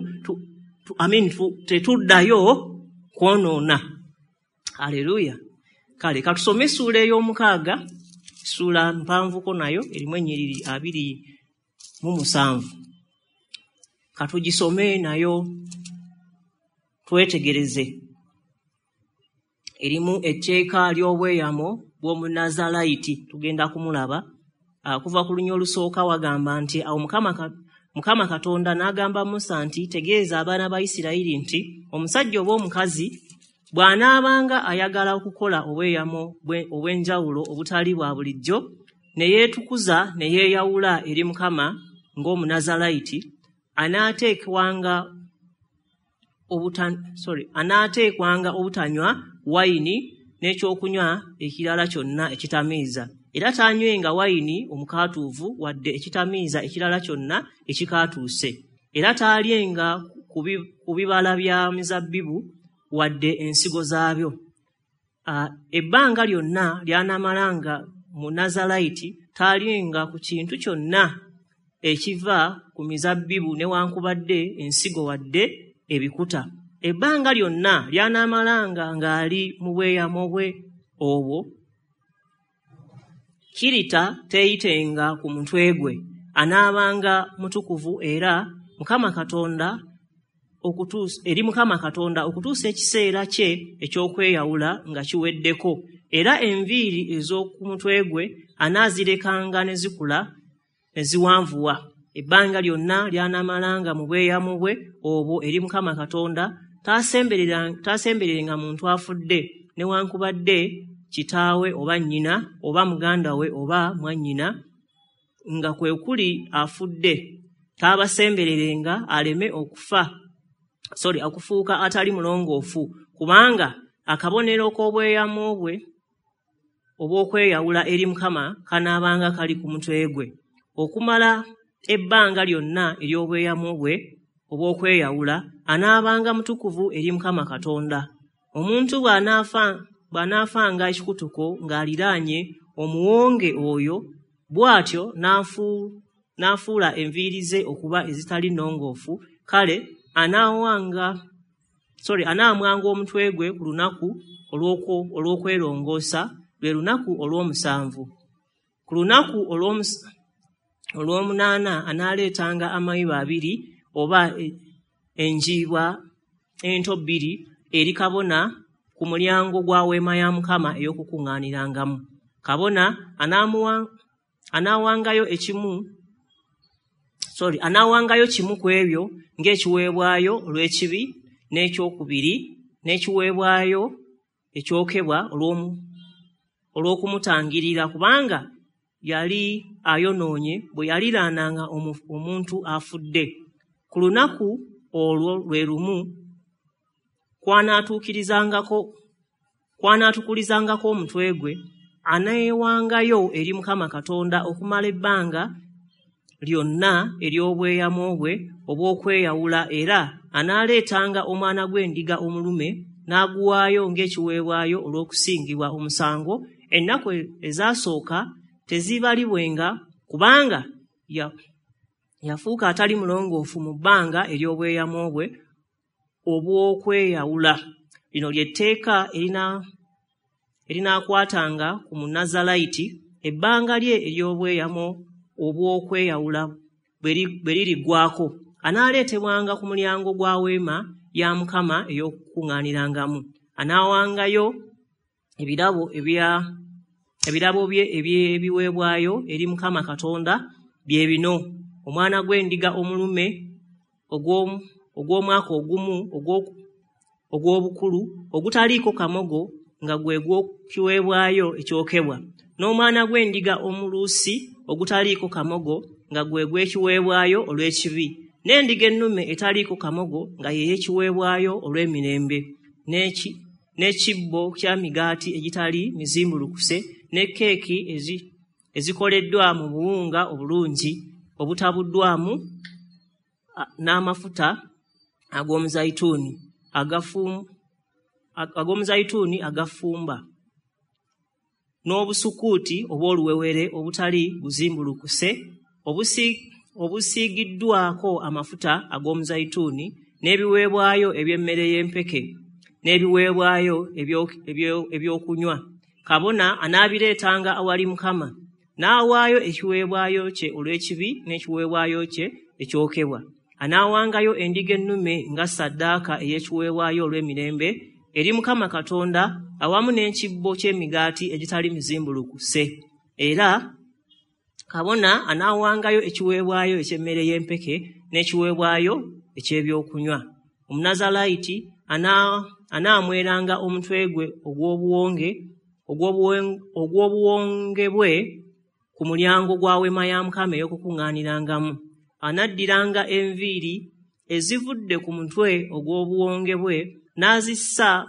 I mean, tetuddayo kwonoona. Aleluya. Kale katusome essuula ey'omukaaga, essuula mpanvuko nayo erimu ennyiriri abiri mu musanvu. Katugisome nayo twetegereze. Erimu etteeka ly'obweyamo bw'Omunazalayiti, tugenda kumulaba. Okuva ku lunya olusooka wagamba nti awo Mukama Mukama Katonda n'agamba Musa nti tegeeza abaana ba Isirayiri nti omusajja oba omukazi bw'anaabanga ayagala okukola obweyamo obw'enjawulo obutali bwa bulijjo, ne yeetukuza ne yeeyawula eri Mukama ng'Omunazalayiti, anaateekwanga obuta sorry anaateekwanga obutanywa wayini n'ekyokunywa ekirala kyonna ekitamiiza, era taanywenga wayini omukaatuuvu wadde ekitamiiza ekirala kyonna ekikaatuuse, era taalyenga ku bibala bya mizabbibu wadde ensigo zaabyo. Ebbanga lyonna ly'anaamalanga mu Nazalayiti taalyenga ku kintu kyonna ekiva ku mizabbibu newankubadde ensigo wadde ebikuta. Ebbanga lyonna ly'anaamalanga ng'ali mu bweyamo bwe obwo, kirita teeyitenga ku mutwe gwe, anaabanga mutukuvu era Mukama Katonda okutuusa eri Mukama Katonda okutuusa ekiseera kye eky'okweyawula nga kiweddeko. Era enviiri ez'oku mutwe gwe anaazirekanga ne zikula ne ziwanvuwa. Ebbanga lyonna ly'anaamalanga mu bweyamo bwe obwo eri Mukama Katonda, taasembererenga muntu afudde, newankubadde kitaawe oba nnyina oba muganda we oba mwannyina, nga kwe kuli afudde, taabasembererenga aleme okufa sorry okufuuka atali mulongoofu, kubanga akabonero k'obweyamo bwe obw'okweyawula eri Mukama kanaabanga kali ku mutwe gwe okumala ebbanga lyonna ery'obweyamo bwe obw'okweyawula. Anaabanga mutukuvu eri Mukama Katonda. Omuntu bw'anaafanga ekikutuko ng'aliraanye omuwonge oyo, bw'atyo n'afuula enviiri ze okuba ezitali nnongoofu, kale anaawanga sorry anaamwanga omutwe gwe ku lunaku olw'okwerongoosa, lwe lunaku olw'omusanvu. Ku lunaku olw'omunaana anaaleetanga amayiba abiri oba enjiibwa ento bbiri eri kabona ku mulyango gwa weema ya Mukama ey'okukuŋŋaanirangamu. Kabona anaawangayo ekimu sorry anaawangayo kimu ku ebyo ng'ekiweebwayo olw'ekibi, n'ekyokubiri n'ekiweebwayo ekyokebwa olw'okumutangirira, kubanga yali ayonoonye bwe yaliraananga omuntu afudde. Ku lunaku olwo lwe lumu kw'anaatukulizangako omutwe gwe, aneewangayo eri Mukama Katonda okumala ebbanga lyonna ery'obweyamo bwe obw'okweyawula, era anaaleetanga omwana gw'endiga omulume n'aguwaayo ng'ekiweebwayo olw'okusingibwa omusango. Ennaku ezasooka tezibalibwenga, kubanga yafuuka atali mulongoofu mu bbanga ery'obweyamo bwe obw'okweyawula. Lino ly'etteeka erinaakwatanga ku Munazaalayiti ebbanga lye ery'obweyamo obw'okweyawula bwe liriggwaako. Anaaleetebwanga ku mulyango gwa weema ya Mukama ey'okukuŋŋaanirangamu. Anaawangayo ebirabo ebirabo bye eby'ebiweebwayo eri Mukama Katonda bye bino: omwana gw'endiga omulume ogw'omwaka ogumu ogw'obukulu ogutaliiko kamogo nga gwe gw'ekiweebwayo ekyokebwa, n'omwana gw'endiga omuluusi ogutaliiko kamogo nga gwe gw'ekiweebwayo olw'ekibi, n'endiga ennume etaliiko kamogo nga ye y'ekiweebwayo olw'emirembe, n'ekibbo kya migaati egitali mizimbulukuse, ne keeki ezikoleddwa mu buwunga obulungi obutabuddwamu n'amafuta ag'omuzayituuni ag'omuzayituuni agafumba, n'obusukuuti obw'oluwewere obutali buzimbulukuse obusiigiddwako amafuta ag'omuzayituuni, n'ebiweebwayo eby'emmere y'empeke, n'ebiweebwayo ebyokunywa. Kabona anaabireetanga awali Mukama, n'awaayo ekiweebwayo kye olw'ekibi n'ekiweebwayo kye ekyokebwa. Anaawangayo endiga ennume nga ssaddaaka ey'ekiweebwayo olw'emirembe eri Mukama Katonda, awamu n'ekibbo ky'emigaati egitali mizimbulukuse. Era kabona anaawangayo ekiweebwayo eky'emmere y'empeke n'ekiweebwayo eky'ebyokunywa. Omunazaalayiti anaamweranga omutwe gwe ogw'obuwonge ogw'obuwonge bwe ku mulyango gwa weema ya Mukama ey'okukuŋŋaanirangamu. Anaddiranga enviiri ezivudde ku mutwe ogw'obuwonge bwe n'azissa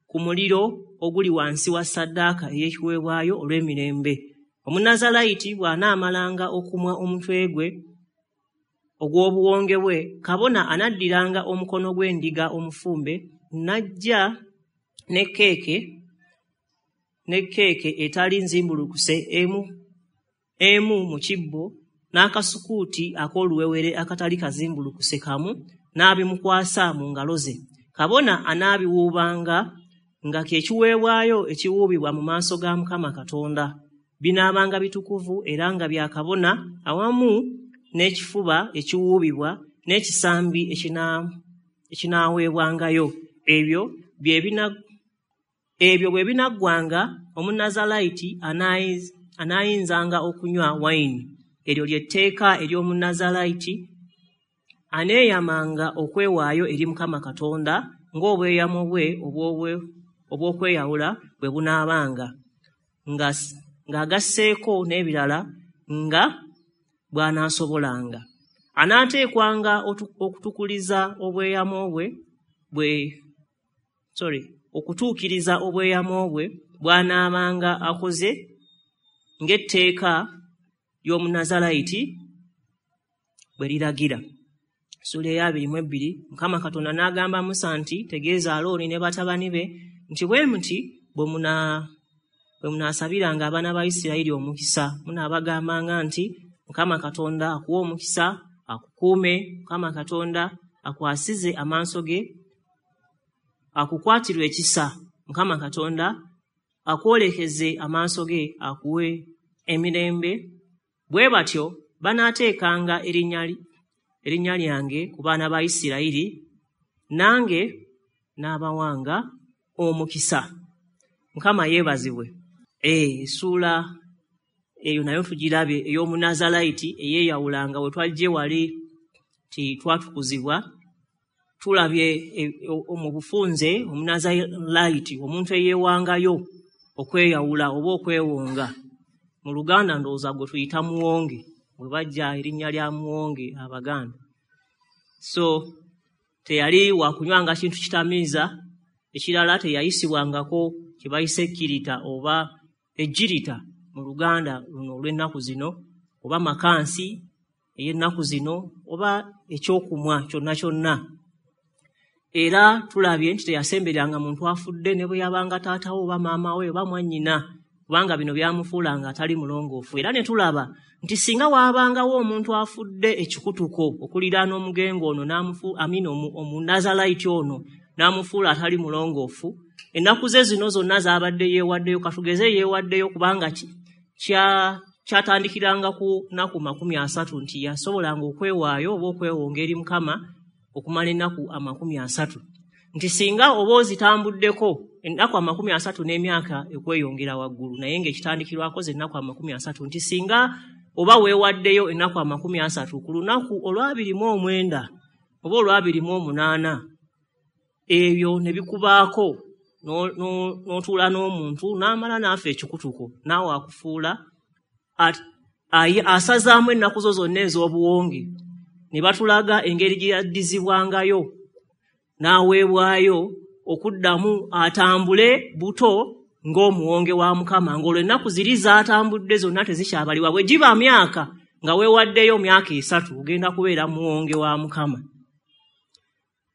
ku muliro oguli wansi wa ssaddaaka ey'ekiweebwayo olw'emirembe. Omunazaalayiti bw'anaamalanga okumwa omutwe gwe ogw'obuwonge bwe, kabona anaddiranga omukono gw'endiga omufumbe n'ajja ne keeke ne keeke etali nzimbulukuse emu emu mu kibbo, n'akasukuuti ak'oluwewere akatali kazimbulukuse kamu, n'abimukwasa mu ngalo ze. Kabona anaabiwuubanga nga kye kiweebwayo ekiwuubibwa mu maaso ga Mukama Katonda. Binaabanga bitukuvu era nga bya kabona, awamu n'ekifuba ekiwuubibwa n'ekisambi ekinaaweebwangayo. Ebyo ebyo bwe binaggwanga, Omunazaalayiti anaayinzanga okunywa wayini. Eryo ly'etteeka ery'Omunazaalayiti aneeyamanga okwewaayo eri Mukama Katonda ng'obweyamo bwe obw'okweyawula bwe bunaabanga, ng'agasseeko n'ebirala nga bw'anaasobolanga. Anaateekwanga okutukuliza obweyamo bwe bwe sorry okutuukiriza obweyamo bwe bw'anaabanga akoze ng'etteeka ly'omunazalayiti bwe liragira. Ssuula ey'abiri mu ebbiri, Mukama Katonda n'agamba Musa nti, tegeeza Alooni ne batabani be nti bwe muti bwe muna bwe munaasabiranga abaana ba Isirayiri omukisa, munaabagambanga nti Mukama Katonda akuwe omukisa, akukuume, Mukama Katonda akwasize amaaso ge, akukwatirwe ekisa, Mukama Katonda akwolekeze amaaso ge, akuwe emirembe. Bwe batyo banaateekanga erinnya erinnya lyange ku baana ba Isirayiri, nange n'abawanga omukisa. Mukama yeebazibwe. Eh, essuula eyo nayo tugirabye, ey'omunazalayiti eyeeyawulanga we twajje wali ti twatukuzibwa. Tulabye mu bufunze omunazalayiti, omuntu eyeewangayo okweyawula oba okwewonga. Mu Luganda ndowooza gwe tuyita muwonge, bwe bajja erinnya lya muwonge Abaganda. So teyali wakunywanga kintu kitamiiza, ekirala teyayisibwangako kye bayise ekkirita oba ejjirita mu Luganda luno olw'ennaku zino, oba makansi ey'ennaku zino, oba ekyokumwa kyonna kyonna. Era tulabye nti teyasembereranga muntu afudde ne bwe yabanga taata we oba maama we oba mwannyina, kubanga bino byamufuulanga atali mulongoofu. Era ne tulaba nti singa waabangawo omuntu afudde ekikutuko okuliraana omugenge ono n'amufu amina omunazalayiti ono n'amufuula atali mulongoofu, ennaku ze zino zonna z'abadde yeewaddeyo, katugeze yeewaddeyo kubanga kya kyatandikiranga ku nnaku makumi asatu, nti yasobolanga okwewaayo oba okwewonga eri Mukama okumala ennaku amakumi asatu. Nti singa oba ozitambuddeko ennaku amakumi asatu n'emyaka ekweyongera waggulu, naye ng'ekitandikirwako ze ennaku amakumi asatu, nti singa oba weewaddeyo ennaku amakumi asatu ku lunaku olwabiri mu omwenda oba olwabiri mu omunaana, ebyo ne bikubaako n'otuula n'omuntu n'amala n'afa ekikutuko, naawe akufuula asazaamu ennaku zo zonna ez'obuwonge. Ne batulaga engeri gye yaddizibwangayo n'aweebwayo okuddamu atambule buto ng'omuwonge wa Mukama, ng'olwo ennaku ziri z'atambudde zonna tezikyabalibwa. Bwe giba myaka nga weewaddeyo myaka esatu, ogenda kubeera muwonge wa Mukama.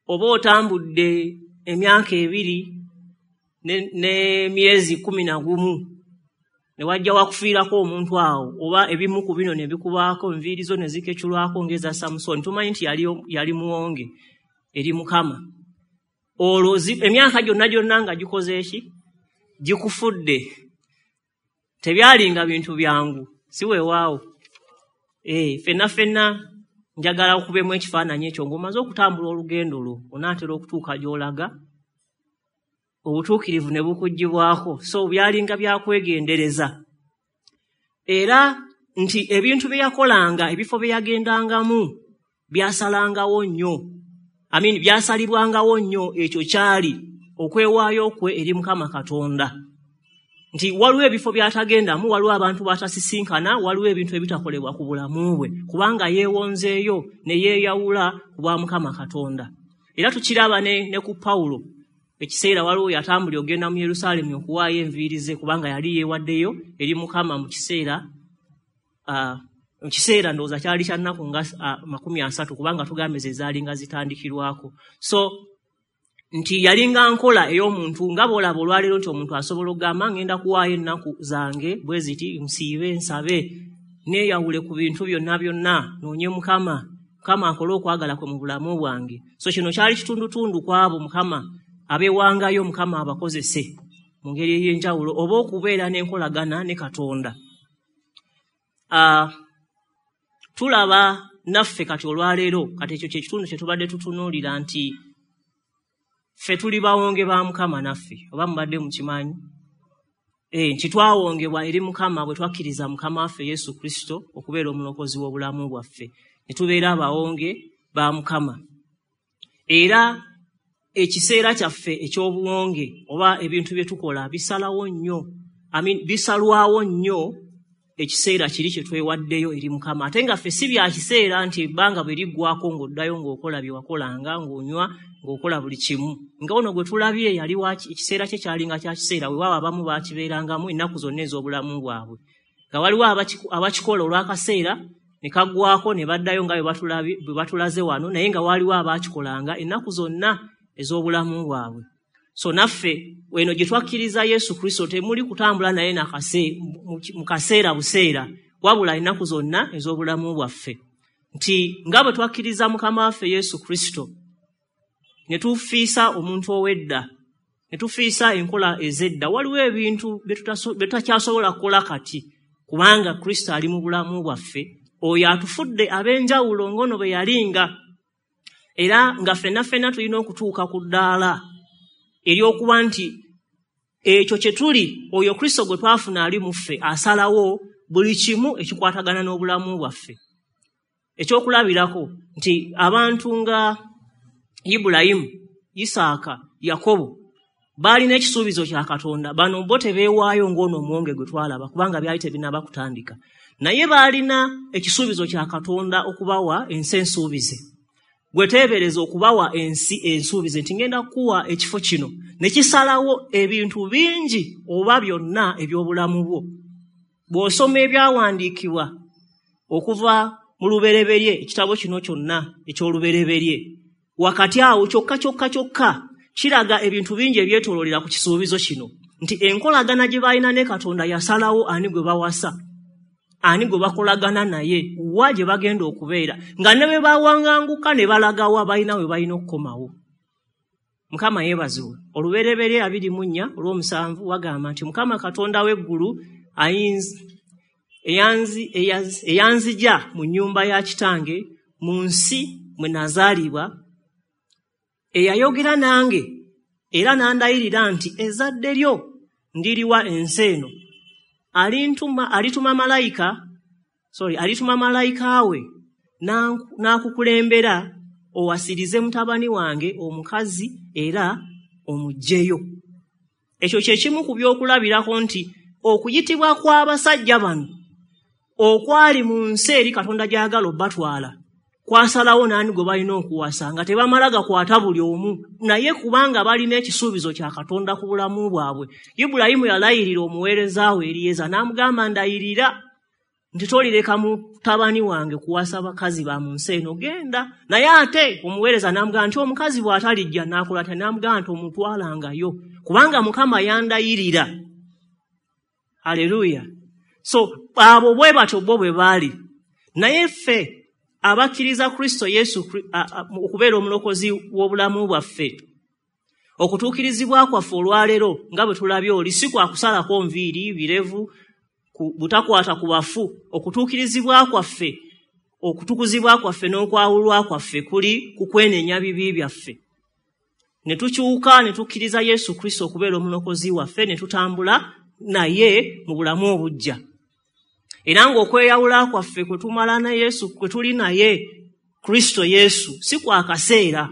Oba otambudde emyaka ebiri n'emyezi kkumi na gumu, ne wajja wakufiirako omuntu awo, oba ebimu ku bino ne bikubaako, enviiri zo ne zikeculwako ng'eza Samusoni, tumanyi nti yali yali muwonge eri Mukama. Olwo emyaka gyonna gyonna nga gikoze eki? Gikufudde. Tebyalinga bintu byangu, si weewaawo. Eh, ffenna ffenna njagala okubemu ekifaananyi ekyo ng'omaze okutambula olugendo lwo, onaatera okutuuka gy'olaga, obutuukirivu ne bukuggyibwako. So byalinga byakwegendereza. Era nti ebintu bye yakolanga, ebifo bye yagendangamu byasalangawo nnyo, I mean, byasalibwangawo nnyo. Ekyo kyali okwewaayo kwe eri Mukama Katonda. Nti waliwo ebifo by'atagendamu, waliwo abantu b'atasisinkana, waliwo ebintu ebitakolebwa ku bulamu bwe, kubanga yeewonzeeyo ne yeeyawula ku bwa Mukama Katonda. Era tukiraba ne, ne ku Pawulo. Ekiseera waliwo yatambulira okugenda mu Yerusaalemi okuwaayo enviiri ze, kubanga yali yeewaddeyo eri Mukama mu kiseera uh, mu kiseera ndowooza kyali kya nnaku nga uh, makumi asatu, kubanga tugambe ze zaalinga zitandikirwako. So nti yalinga nkola ey'omuntu nga bw'olaba olwaleero nti omuntu asobola okugamba ngenda kuwaayo ennaku zange bwe ziti, nsiibe, nsabe, neeyawule ku bintu byonna byonna, noonye Mukama, Mukama akole okwagala kwe mu bulamu bwange. So kino kyali kitundutundu ku abo Mukama abeewangayo, Mukama abakozese mu ngeri ey'enjawulo oba okubeera n'enkolagana ne Katonda. Uh, tulaba naffe kati olwaleero, kati ekyo kye kitundu kye tubadde tutunuulira nti ffe tuli bawonge ba Mukama naffe, oba mubadde mukimanyi? Eh, nti twawongebwa eri Mukama bwe twakkiriza Mukama waffe Yesu Kristo okubeera omulokozi w'obulamu bwaffe, ne tubeera abawonge ba Mukama. Era ekiseera kyaffe eky'obuwonge oba ebintu bye tukola bisalawo nnyo, I mean, bisalwawo nnyo ekiseera kiri kye twewaddeyo eri Mukama. Ate nga ffe si bya kiseera nti ebbanga bwe liggwako ng'oddayo ng'okola bye wakolanga, ng'onywa, ng'okola buli kimu. Nga ono gwe tulabye yali ekiseera kye kyalinga kya kiseera, weewaawo abamu baakibeerangamu ennaku zonna ez'obulamu bwabwe. Nga waliwo abakikola olw'akaseera ne kaggwako ne baddayo nga bwe batulaze wano, naye nga waliwo abaakikolanga ennaku zonna ez'obulamu bwabwe. So naffe weno gye twakkiriza Yesu Kristo temuli kutambula naye mu kaseera buseera, wabula ennaku zonna ez'obulamu bwaffe. Nti nga bwe twakkiriza Mukama waffe Yesu Kristo ne tufiisa omuntu ow'edda, ne tufiisa enkola ez'edda, waliwo ebintu bye tutakyasobola kukola kati kubanga Kristo ali mu bulamu bwaffe. Oyo atufudde ab'enjawulo ng'ono bwe yalinga, era nga ffenna ffenna tulina okutuuka ku ddaala ery'okuba nti ekyo kye tuli, oyo Kristo gwe twafuna ali mu ffe asalawo buli kimu ekikwatagana n'obulamu bwaffe. Ekyokulabirako nti abantu nga Ibulayimu, Isaaka, Yakobo baalina ekisuubizo kya Katonda. Bano bo tebeewaayo ng'ono omuwonge gwe twalaba kubanga byali tebinnaba kutandika, naye baalina ekisuubizo kya Katonda okubawa ensi ensuubize. Gwe teebereza okubawa ensi ensuubize nti ngenda kukuwa ekifo kino, ne kisalawo ebintu bingi oba byonna eby'obulamu bwo. Bw'osoma ebyawandiikibwa okuva mu Lubereberye, ekitabo kino kyonna eky'Olubereberye, wakati awo kyokka kyokka kyokka kiraga ebintu bingi ebyetooloolera ku kisuubizo kino, nti enkolagana gye balina ne Katonda yasalawo ani gwe bawasa, ani gwe bakolagana naye, wa gye bagenda okubeera, nga ne bwe bawanganguka ne balagawa balina we balina okukomawo. Mukama yeebazibwe. Olubereberye abiri mu nnya olw'omusanvu wagamba nti Mukama Katonda w'eggulu eyanzija mu nnyumba ya kitange mu nsi mwe nazaalibwa, eyayogera nange era n'andayirira nti ezzadde lyo ndiriwa ensi eno, alintuma alituma malayika sorry alituma malayika we n'akukulembera owasirize mutabani wange omukazi era omuggyeyo. Ekyo kye kimu ku byokulabirako nti okuyitibwa kw'abasajja bano okwali mu nsi eri Katonda gy'ayagala obbatwala kwasalawo n'ani gwe balina okuwasa, nga tebamala gakwata buli omu, naye kubanga balina ekisuubizo kya Katonda ku bulamu bwabwe. Ibulayimu yalayirira omuweereza we Eriyeza n'amugamba, ndayirira nti tolireka mutabani wange kuwasa bakazi ba mu nsi eno, genda. Naye ate omuweereza n'amugamba nti omukazi bw'atalijja n'akola atya? N'amugamba nti omutwalangayo kubanga Mukama yandayirira. Haleluya. So abo bwe batyo bo bwe baali. Naye ffe abakkiriza Kristo Yesu okubeera omulokozi w'obulamu bwaffe, okutuukirizibwa kwaffe olwaleero nga bwe tulabye oli si kwa kusalako nviiri, birevu, butakwata ku bafu. Okutuukirizibwa kwaffe, okutukuzibwa kwaffe n'okwawulwa kwaffe kuli ku kwenenya bibi byaffe, ne tukyuka ne tukkiriza Yesu Kristo okubeera omulokozi waffe, ne tutambula naye mu bulamu obuggya. Era ng'okweyawula kwaffe kwe tumala na Yesu, kwe tuli naye Kristo Yesu, si kwa kaseera,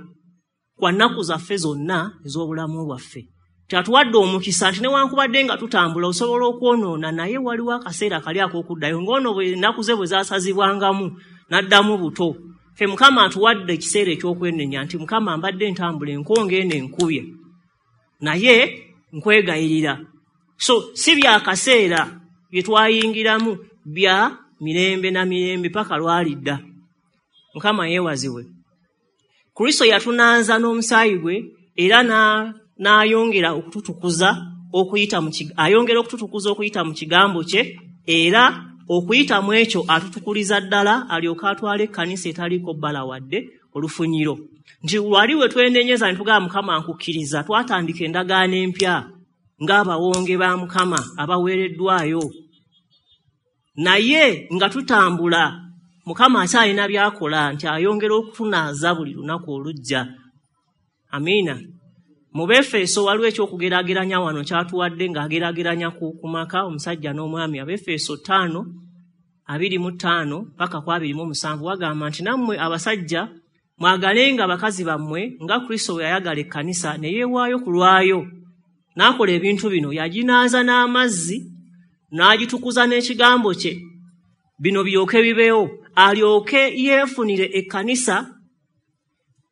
kwa nnaku zaffe zonna ez'obulamu bwaffe. Kyatuwadde omukisa nti newankubadde nga tutambula osobola okwonoona, naye waliwo akaseera kali ak'okuddayo, ng'ono bwe ennaku ze bwe zaasazibwangamu n'addamu buto. Ffe Mukama atuwadde ekiseera eky'okwenenya nti Mukama mbadde ntambula enkonge eno enkubye, naye nkwegayirira. So si bya kaseera bye twayingiramu, bya mirembe na mirembe paka lwalidda. Mukama yeewazibwe. Kristo yatunaaza n'omusaayi gwe era n'ayongera okututukuza okuyita mu ayongera okututukuza okuyita mu kigambo kye, era okuyita mu ekyo atutukuliza ddala alyoke atwale ekkanisa etaliiko bbala wadde olufunyiro. Nti wali we twenenyeza ne tugamba Mukama nkukkiriza, twatandika endagaano empya ng'abawonge ba Mukama abaweereddwayo. Naye nga tutambula Mukama akyalina by'akola nti ayongera okutunaaza buli lunaku olujja. Amiina. Mu Befeso waliwo ekyokugeraageranya wano kyatuwadde ng'ageraageranya ku, ku maka omusajja n'omwami. Abefeso ttaano abiri mu ttaano paka ku abiri mu musanvu wagamba nti nammwe abasajja mwagalenga bakazi bammwe nga Kristo bwe yayagala ekkanisa ne yeewaayo ku lwayo, n'akola ebintu bino, yaginaaza n'amazzi n'agitukuza n'ekigambo kye, bino biryoke bibeewo, alyoke yeefunire ekkanisa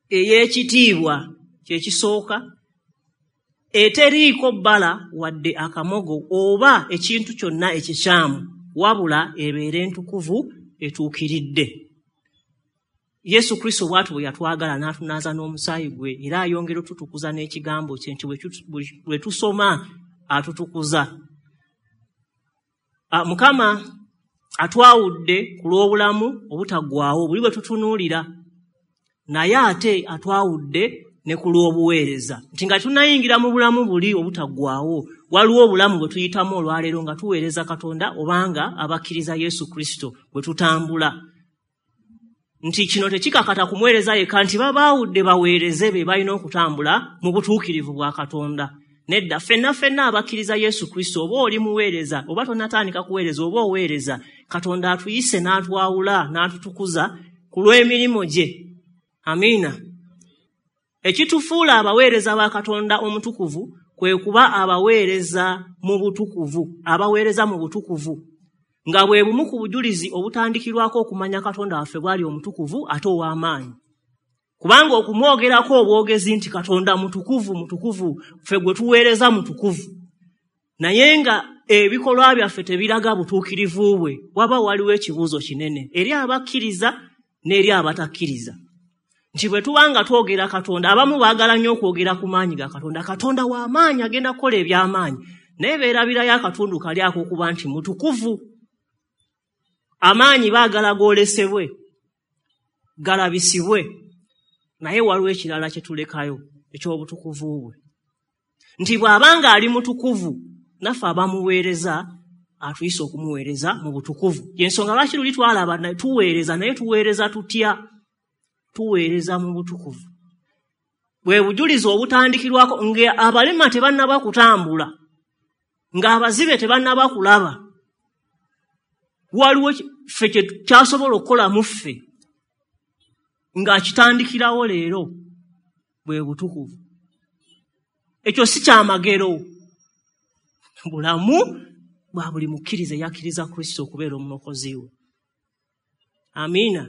ey'ekitiibwa kyekisooka, eteriiko bbala wadde akamogo oba ekintu kyonna ekikyamu, wabula ebeere entukuvu etuukiridde. Yesu Kristo bw'atyo bwe yatwagala n'atunaaza n'omusaayi gwe, era ayongera otutukuza n'ekigambo kye nti bwe tusoma atutukuza. Mukama atwawudde ku lw'obulamu obutaggwaawo buli bwe tutunuulira, naye ate atwawudde ne ku lw'obuweereza, nti nga tunayingira mu bulamu buli obutaggwaawo, waliwo obulamu bwe tuyitamu olwaleero nga tuweereza Katonda obanga abakkiriza Yesu Kristo bwe tutambula. Nti kino tekikakata kumuweereza yekka nti babaawudde baweereze be balina okutambula mu butuukirivu bwa Katonda. Nedda, ffenna ffenna abakkiriza Yesu Kristo, oba oli muweereza oba tonnatandika kuweereza oba oweereza, Katonda atuyise n'atwawula n'atutukuza ku lw'emirimu gye. Amiina. Ekitufuula abaweereza ba Katonda omutukuvu kwe kuba abaweereza mu butukuvu, abaweereza mu butukuvu, nga bwe bumu ku bujulizi obutandikirwako okumanya Katonda waffe bw'ali omutukuvu ate ow'amaanyi. Kubanga okumwogerako obwogezi nti Katonda mutukuvu mutukuvu, ffe gwe tuweereza mutukuvu, naye nga ebikolwa byaffe tebiraga butuukirivu bwe, waba waliwo ekibuuzo kinene eri abakkiriza n'eri abatakkiriza. Nti bwe tuba nga twogera Katonda, abamu baagala nnyo okwogera ku maanyi ga Katonda, Katonda w'amaanyi agenda kukola eby'amaanyi, naye beerabirayo akatundu kali ak'okuba nti mutukuvu. Amaanyi baagala goolesebwe, galabisibwe, naye waliwo ekirala kye tulekayo eky'obutukuvu bwe. Nti bw'abanga ali mutukuvu, naffe abamuweereza atuyise okumuweereza mu butukuvu. Y'ensonga lwaki luli twalaba tuweereza, naye tuweereza tutya? Tuweereza mu butukuvu. Bwe bujulizi obutandikirwako nga abalema tebannaba kutambula, ng'abazibe tebannaba kulaba, waliwo ffe kye kyasobola okukola mu ffe ng'akitandikirawo leero, bwe butukuvu. Ekyo si kyamagero, bulamu bwa buli mukkiriza eyakkiriza Kristo okubeera omulokozi we. Amiina.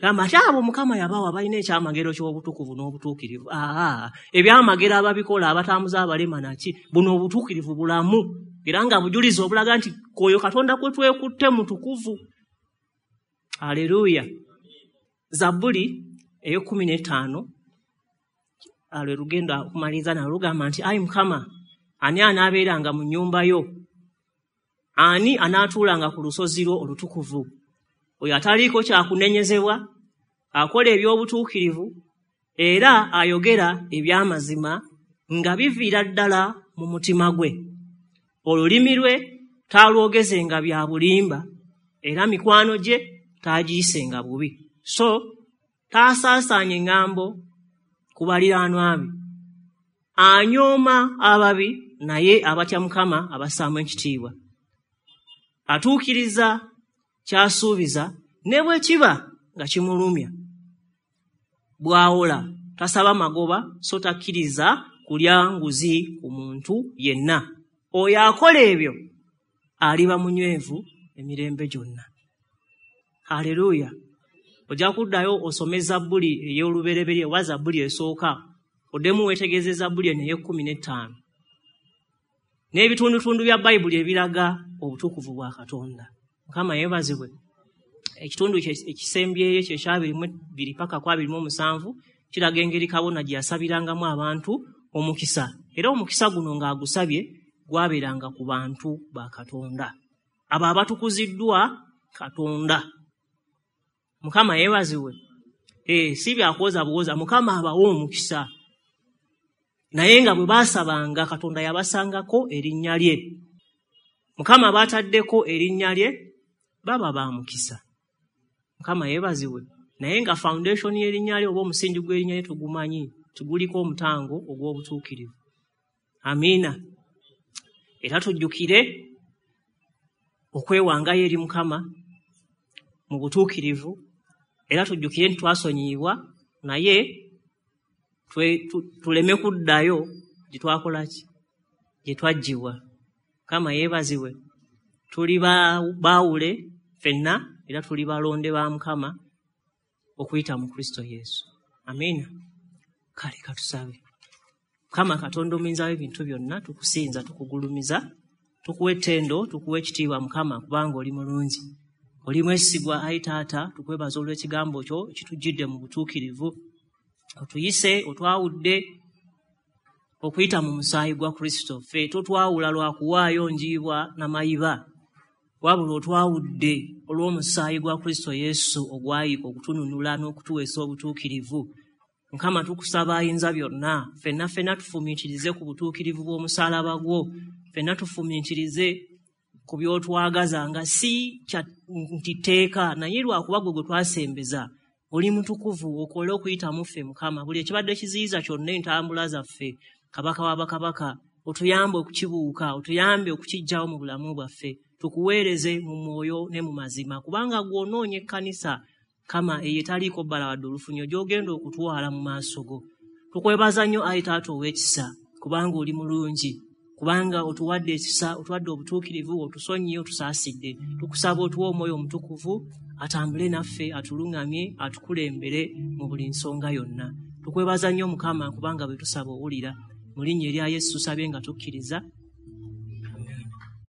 Gamba ate abo Mukama yabawa balina ekyamagero ky'obutukuvu n'obutuukirivu. Aa, ebyamagero ababikola abatambuza abalema naki, buno obutuukirivu bulamu, era nga bujulizi obulaga nti oyo Katonda kwe twekutte mutukuvu. Aleluya. Zabbuli ey'ekkumi n'ettaano lwe lugenda okumaliriza nalwo lugamba nti, ayi Mukama, ani anaabeeranga mu nnyumba yo? Ani anaatuulanga ku lusozi lwo olutukuvu? Oyo ataliiko kyakunenyezebwa, akola eby'obutuukirivu, era ayogera eby'amazima nga biviira ddala mu mutima gwe. Olulimi lwe taalwogezenga bya bulimba, era mikwano gye taagiyisenga bubi. So taasaasaanya eŋŋambo ku baliraanwa be. Anyooma ababi, naye abatya Mukama abassaamu ekitiibwa. Atuukiriza ky'asuubiza ne bwe kiba nga kimulumya. Bw'awola tasaba magoba, so takkiriza kulya nguzi ku muntu yenna. Oyo akola ebyo aliba munywevu emirembe gyonna. Haleluya. Ojja kuddayo osome Zabbuli ey'olubereberye oba Zabbuli esooka, oddemu weetegereze Zabbuli eno ey'ekkumi n'ettaano n'ebitundutundu bya Bayibuli ebiraga obutukuvu bwa Katonda. Mukama yeebazibwe. Ekitundu ekisembyeyo kyekyabiri mu bbiri paka ku abiri mu omusanvu kiraga engeri kabona gye yasabirangamu abantu omukisa, era omukisa guno ng'agusabye gwabeeranga ku bantu ba Katonda, abo abatukuziddwa Katonda. Mukama yeebazibwe. Eh, si byakwoza buwoza, Mukama abawa omukisa, naye nga bwe baasabanga Katonda yabasangako erinnya lye. Mukama baataddeko erinnya lye, baba ba mukisa. Mukama yeebazibwe. Naye nga foundation y'erinnya lye oba omusingi gw'erinnya lye tugumanyi, tuguliko omutango ogw'obutuukirivu. Amiina. Era tujjukire okwewangayo eri Mukama mu butuukirivu, era tujjukire nti twasonyiyibwa, naye tuleme kuddayo gye twakola ki, gye twaggyibwa. Mukama yeebazibwe. Tuli baawule ffenna era tuli balonde ba Mukama okuyita mu Kristo Yesu. Amiina. Kale katusabe. Mukama Katonda omuyinza w'ebintu byonna, tukusinza, tukugulumiza, tukuwa ettendo, tukuwa ekitiibwa Mukama, kubanga oli mulungi, oli mwesigwa. Ayi Taata, tukwebaza olw'ekigambo kyo ekitujjidde mu butuukirivu. Otuyise, otwawudde okuyita mu musaayi gwa Kristo. Ffe totwawula lwa kuwaayo njiibwa na mayiba, wabula otwawudde olw'omusaayi gwa Kristo Yesu ogwayiika okutununula n'okutuweesa obutuukirivu. Mukama, tukusaba ayinza byonna, ffenna ffenna tufumiitirize ku butuukirivu bw'omusaalaba gwo, ffenna tufumiitirize ku by'otwagaza, nga si kya nti tteeka, naye lwakuba gwe gwe twasembeza. Oli mutukuvu, okole okuyita mu ffe Mukama. Buli ekibadde kiziyiza kyonna entambula zaffe, Kabaka wa bakabaka, otuyambe okukibuuka, otuyambe okukiggyawo mu bulamu bwaffe, tukuweereze mu mwoyo ne mu mazima, kubanga gw'onoonya ekkanisa Kama eyo etaliiko bbala wadde olufunyo gy'ogenda okutwala mu maaso go. Tukwebaza nnyo ayi Taata ow'ekisa, kubanga oli mulungi, kubanga otuwadde ekisa, otuwadde obutuukirivu, otusonyiye, otusaasidde. Tukusaba otuwe omwoyo omutukuvu atambule naffe, atuluŋŋamye, atukulembere mu buli nsonga yonna. Tukwebaza nnyo Mukama, kubanga bwe tusaba owulira. Mu linnya erya Yesu tusabye nga tukkiriza.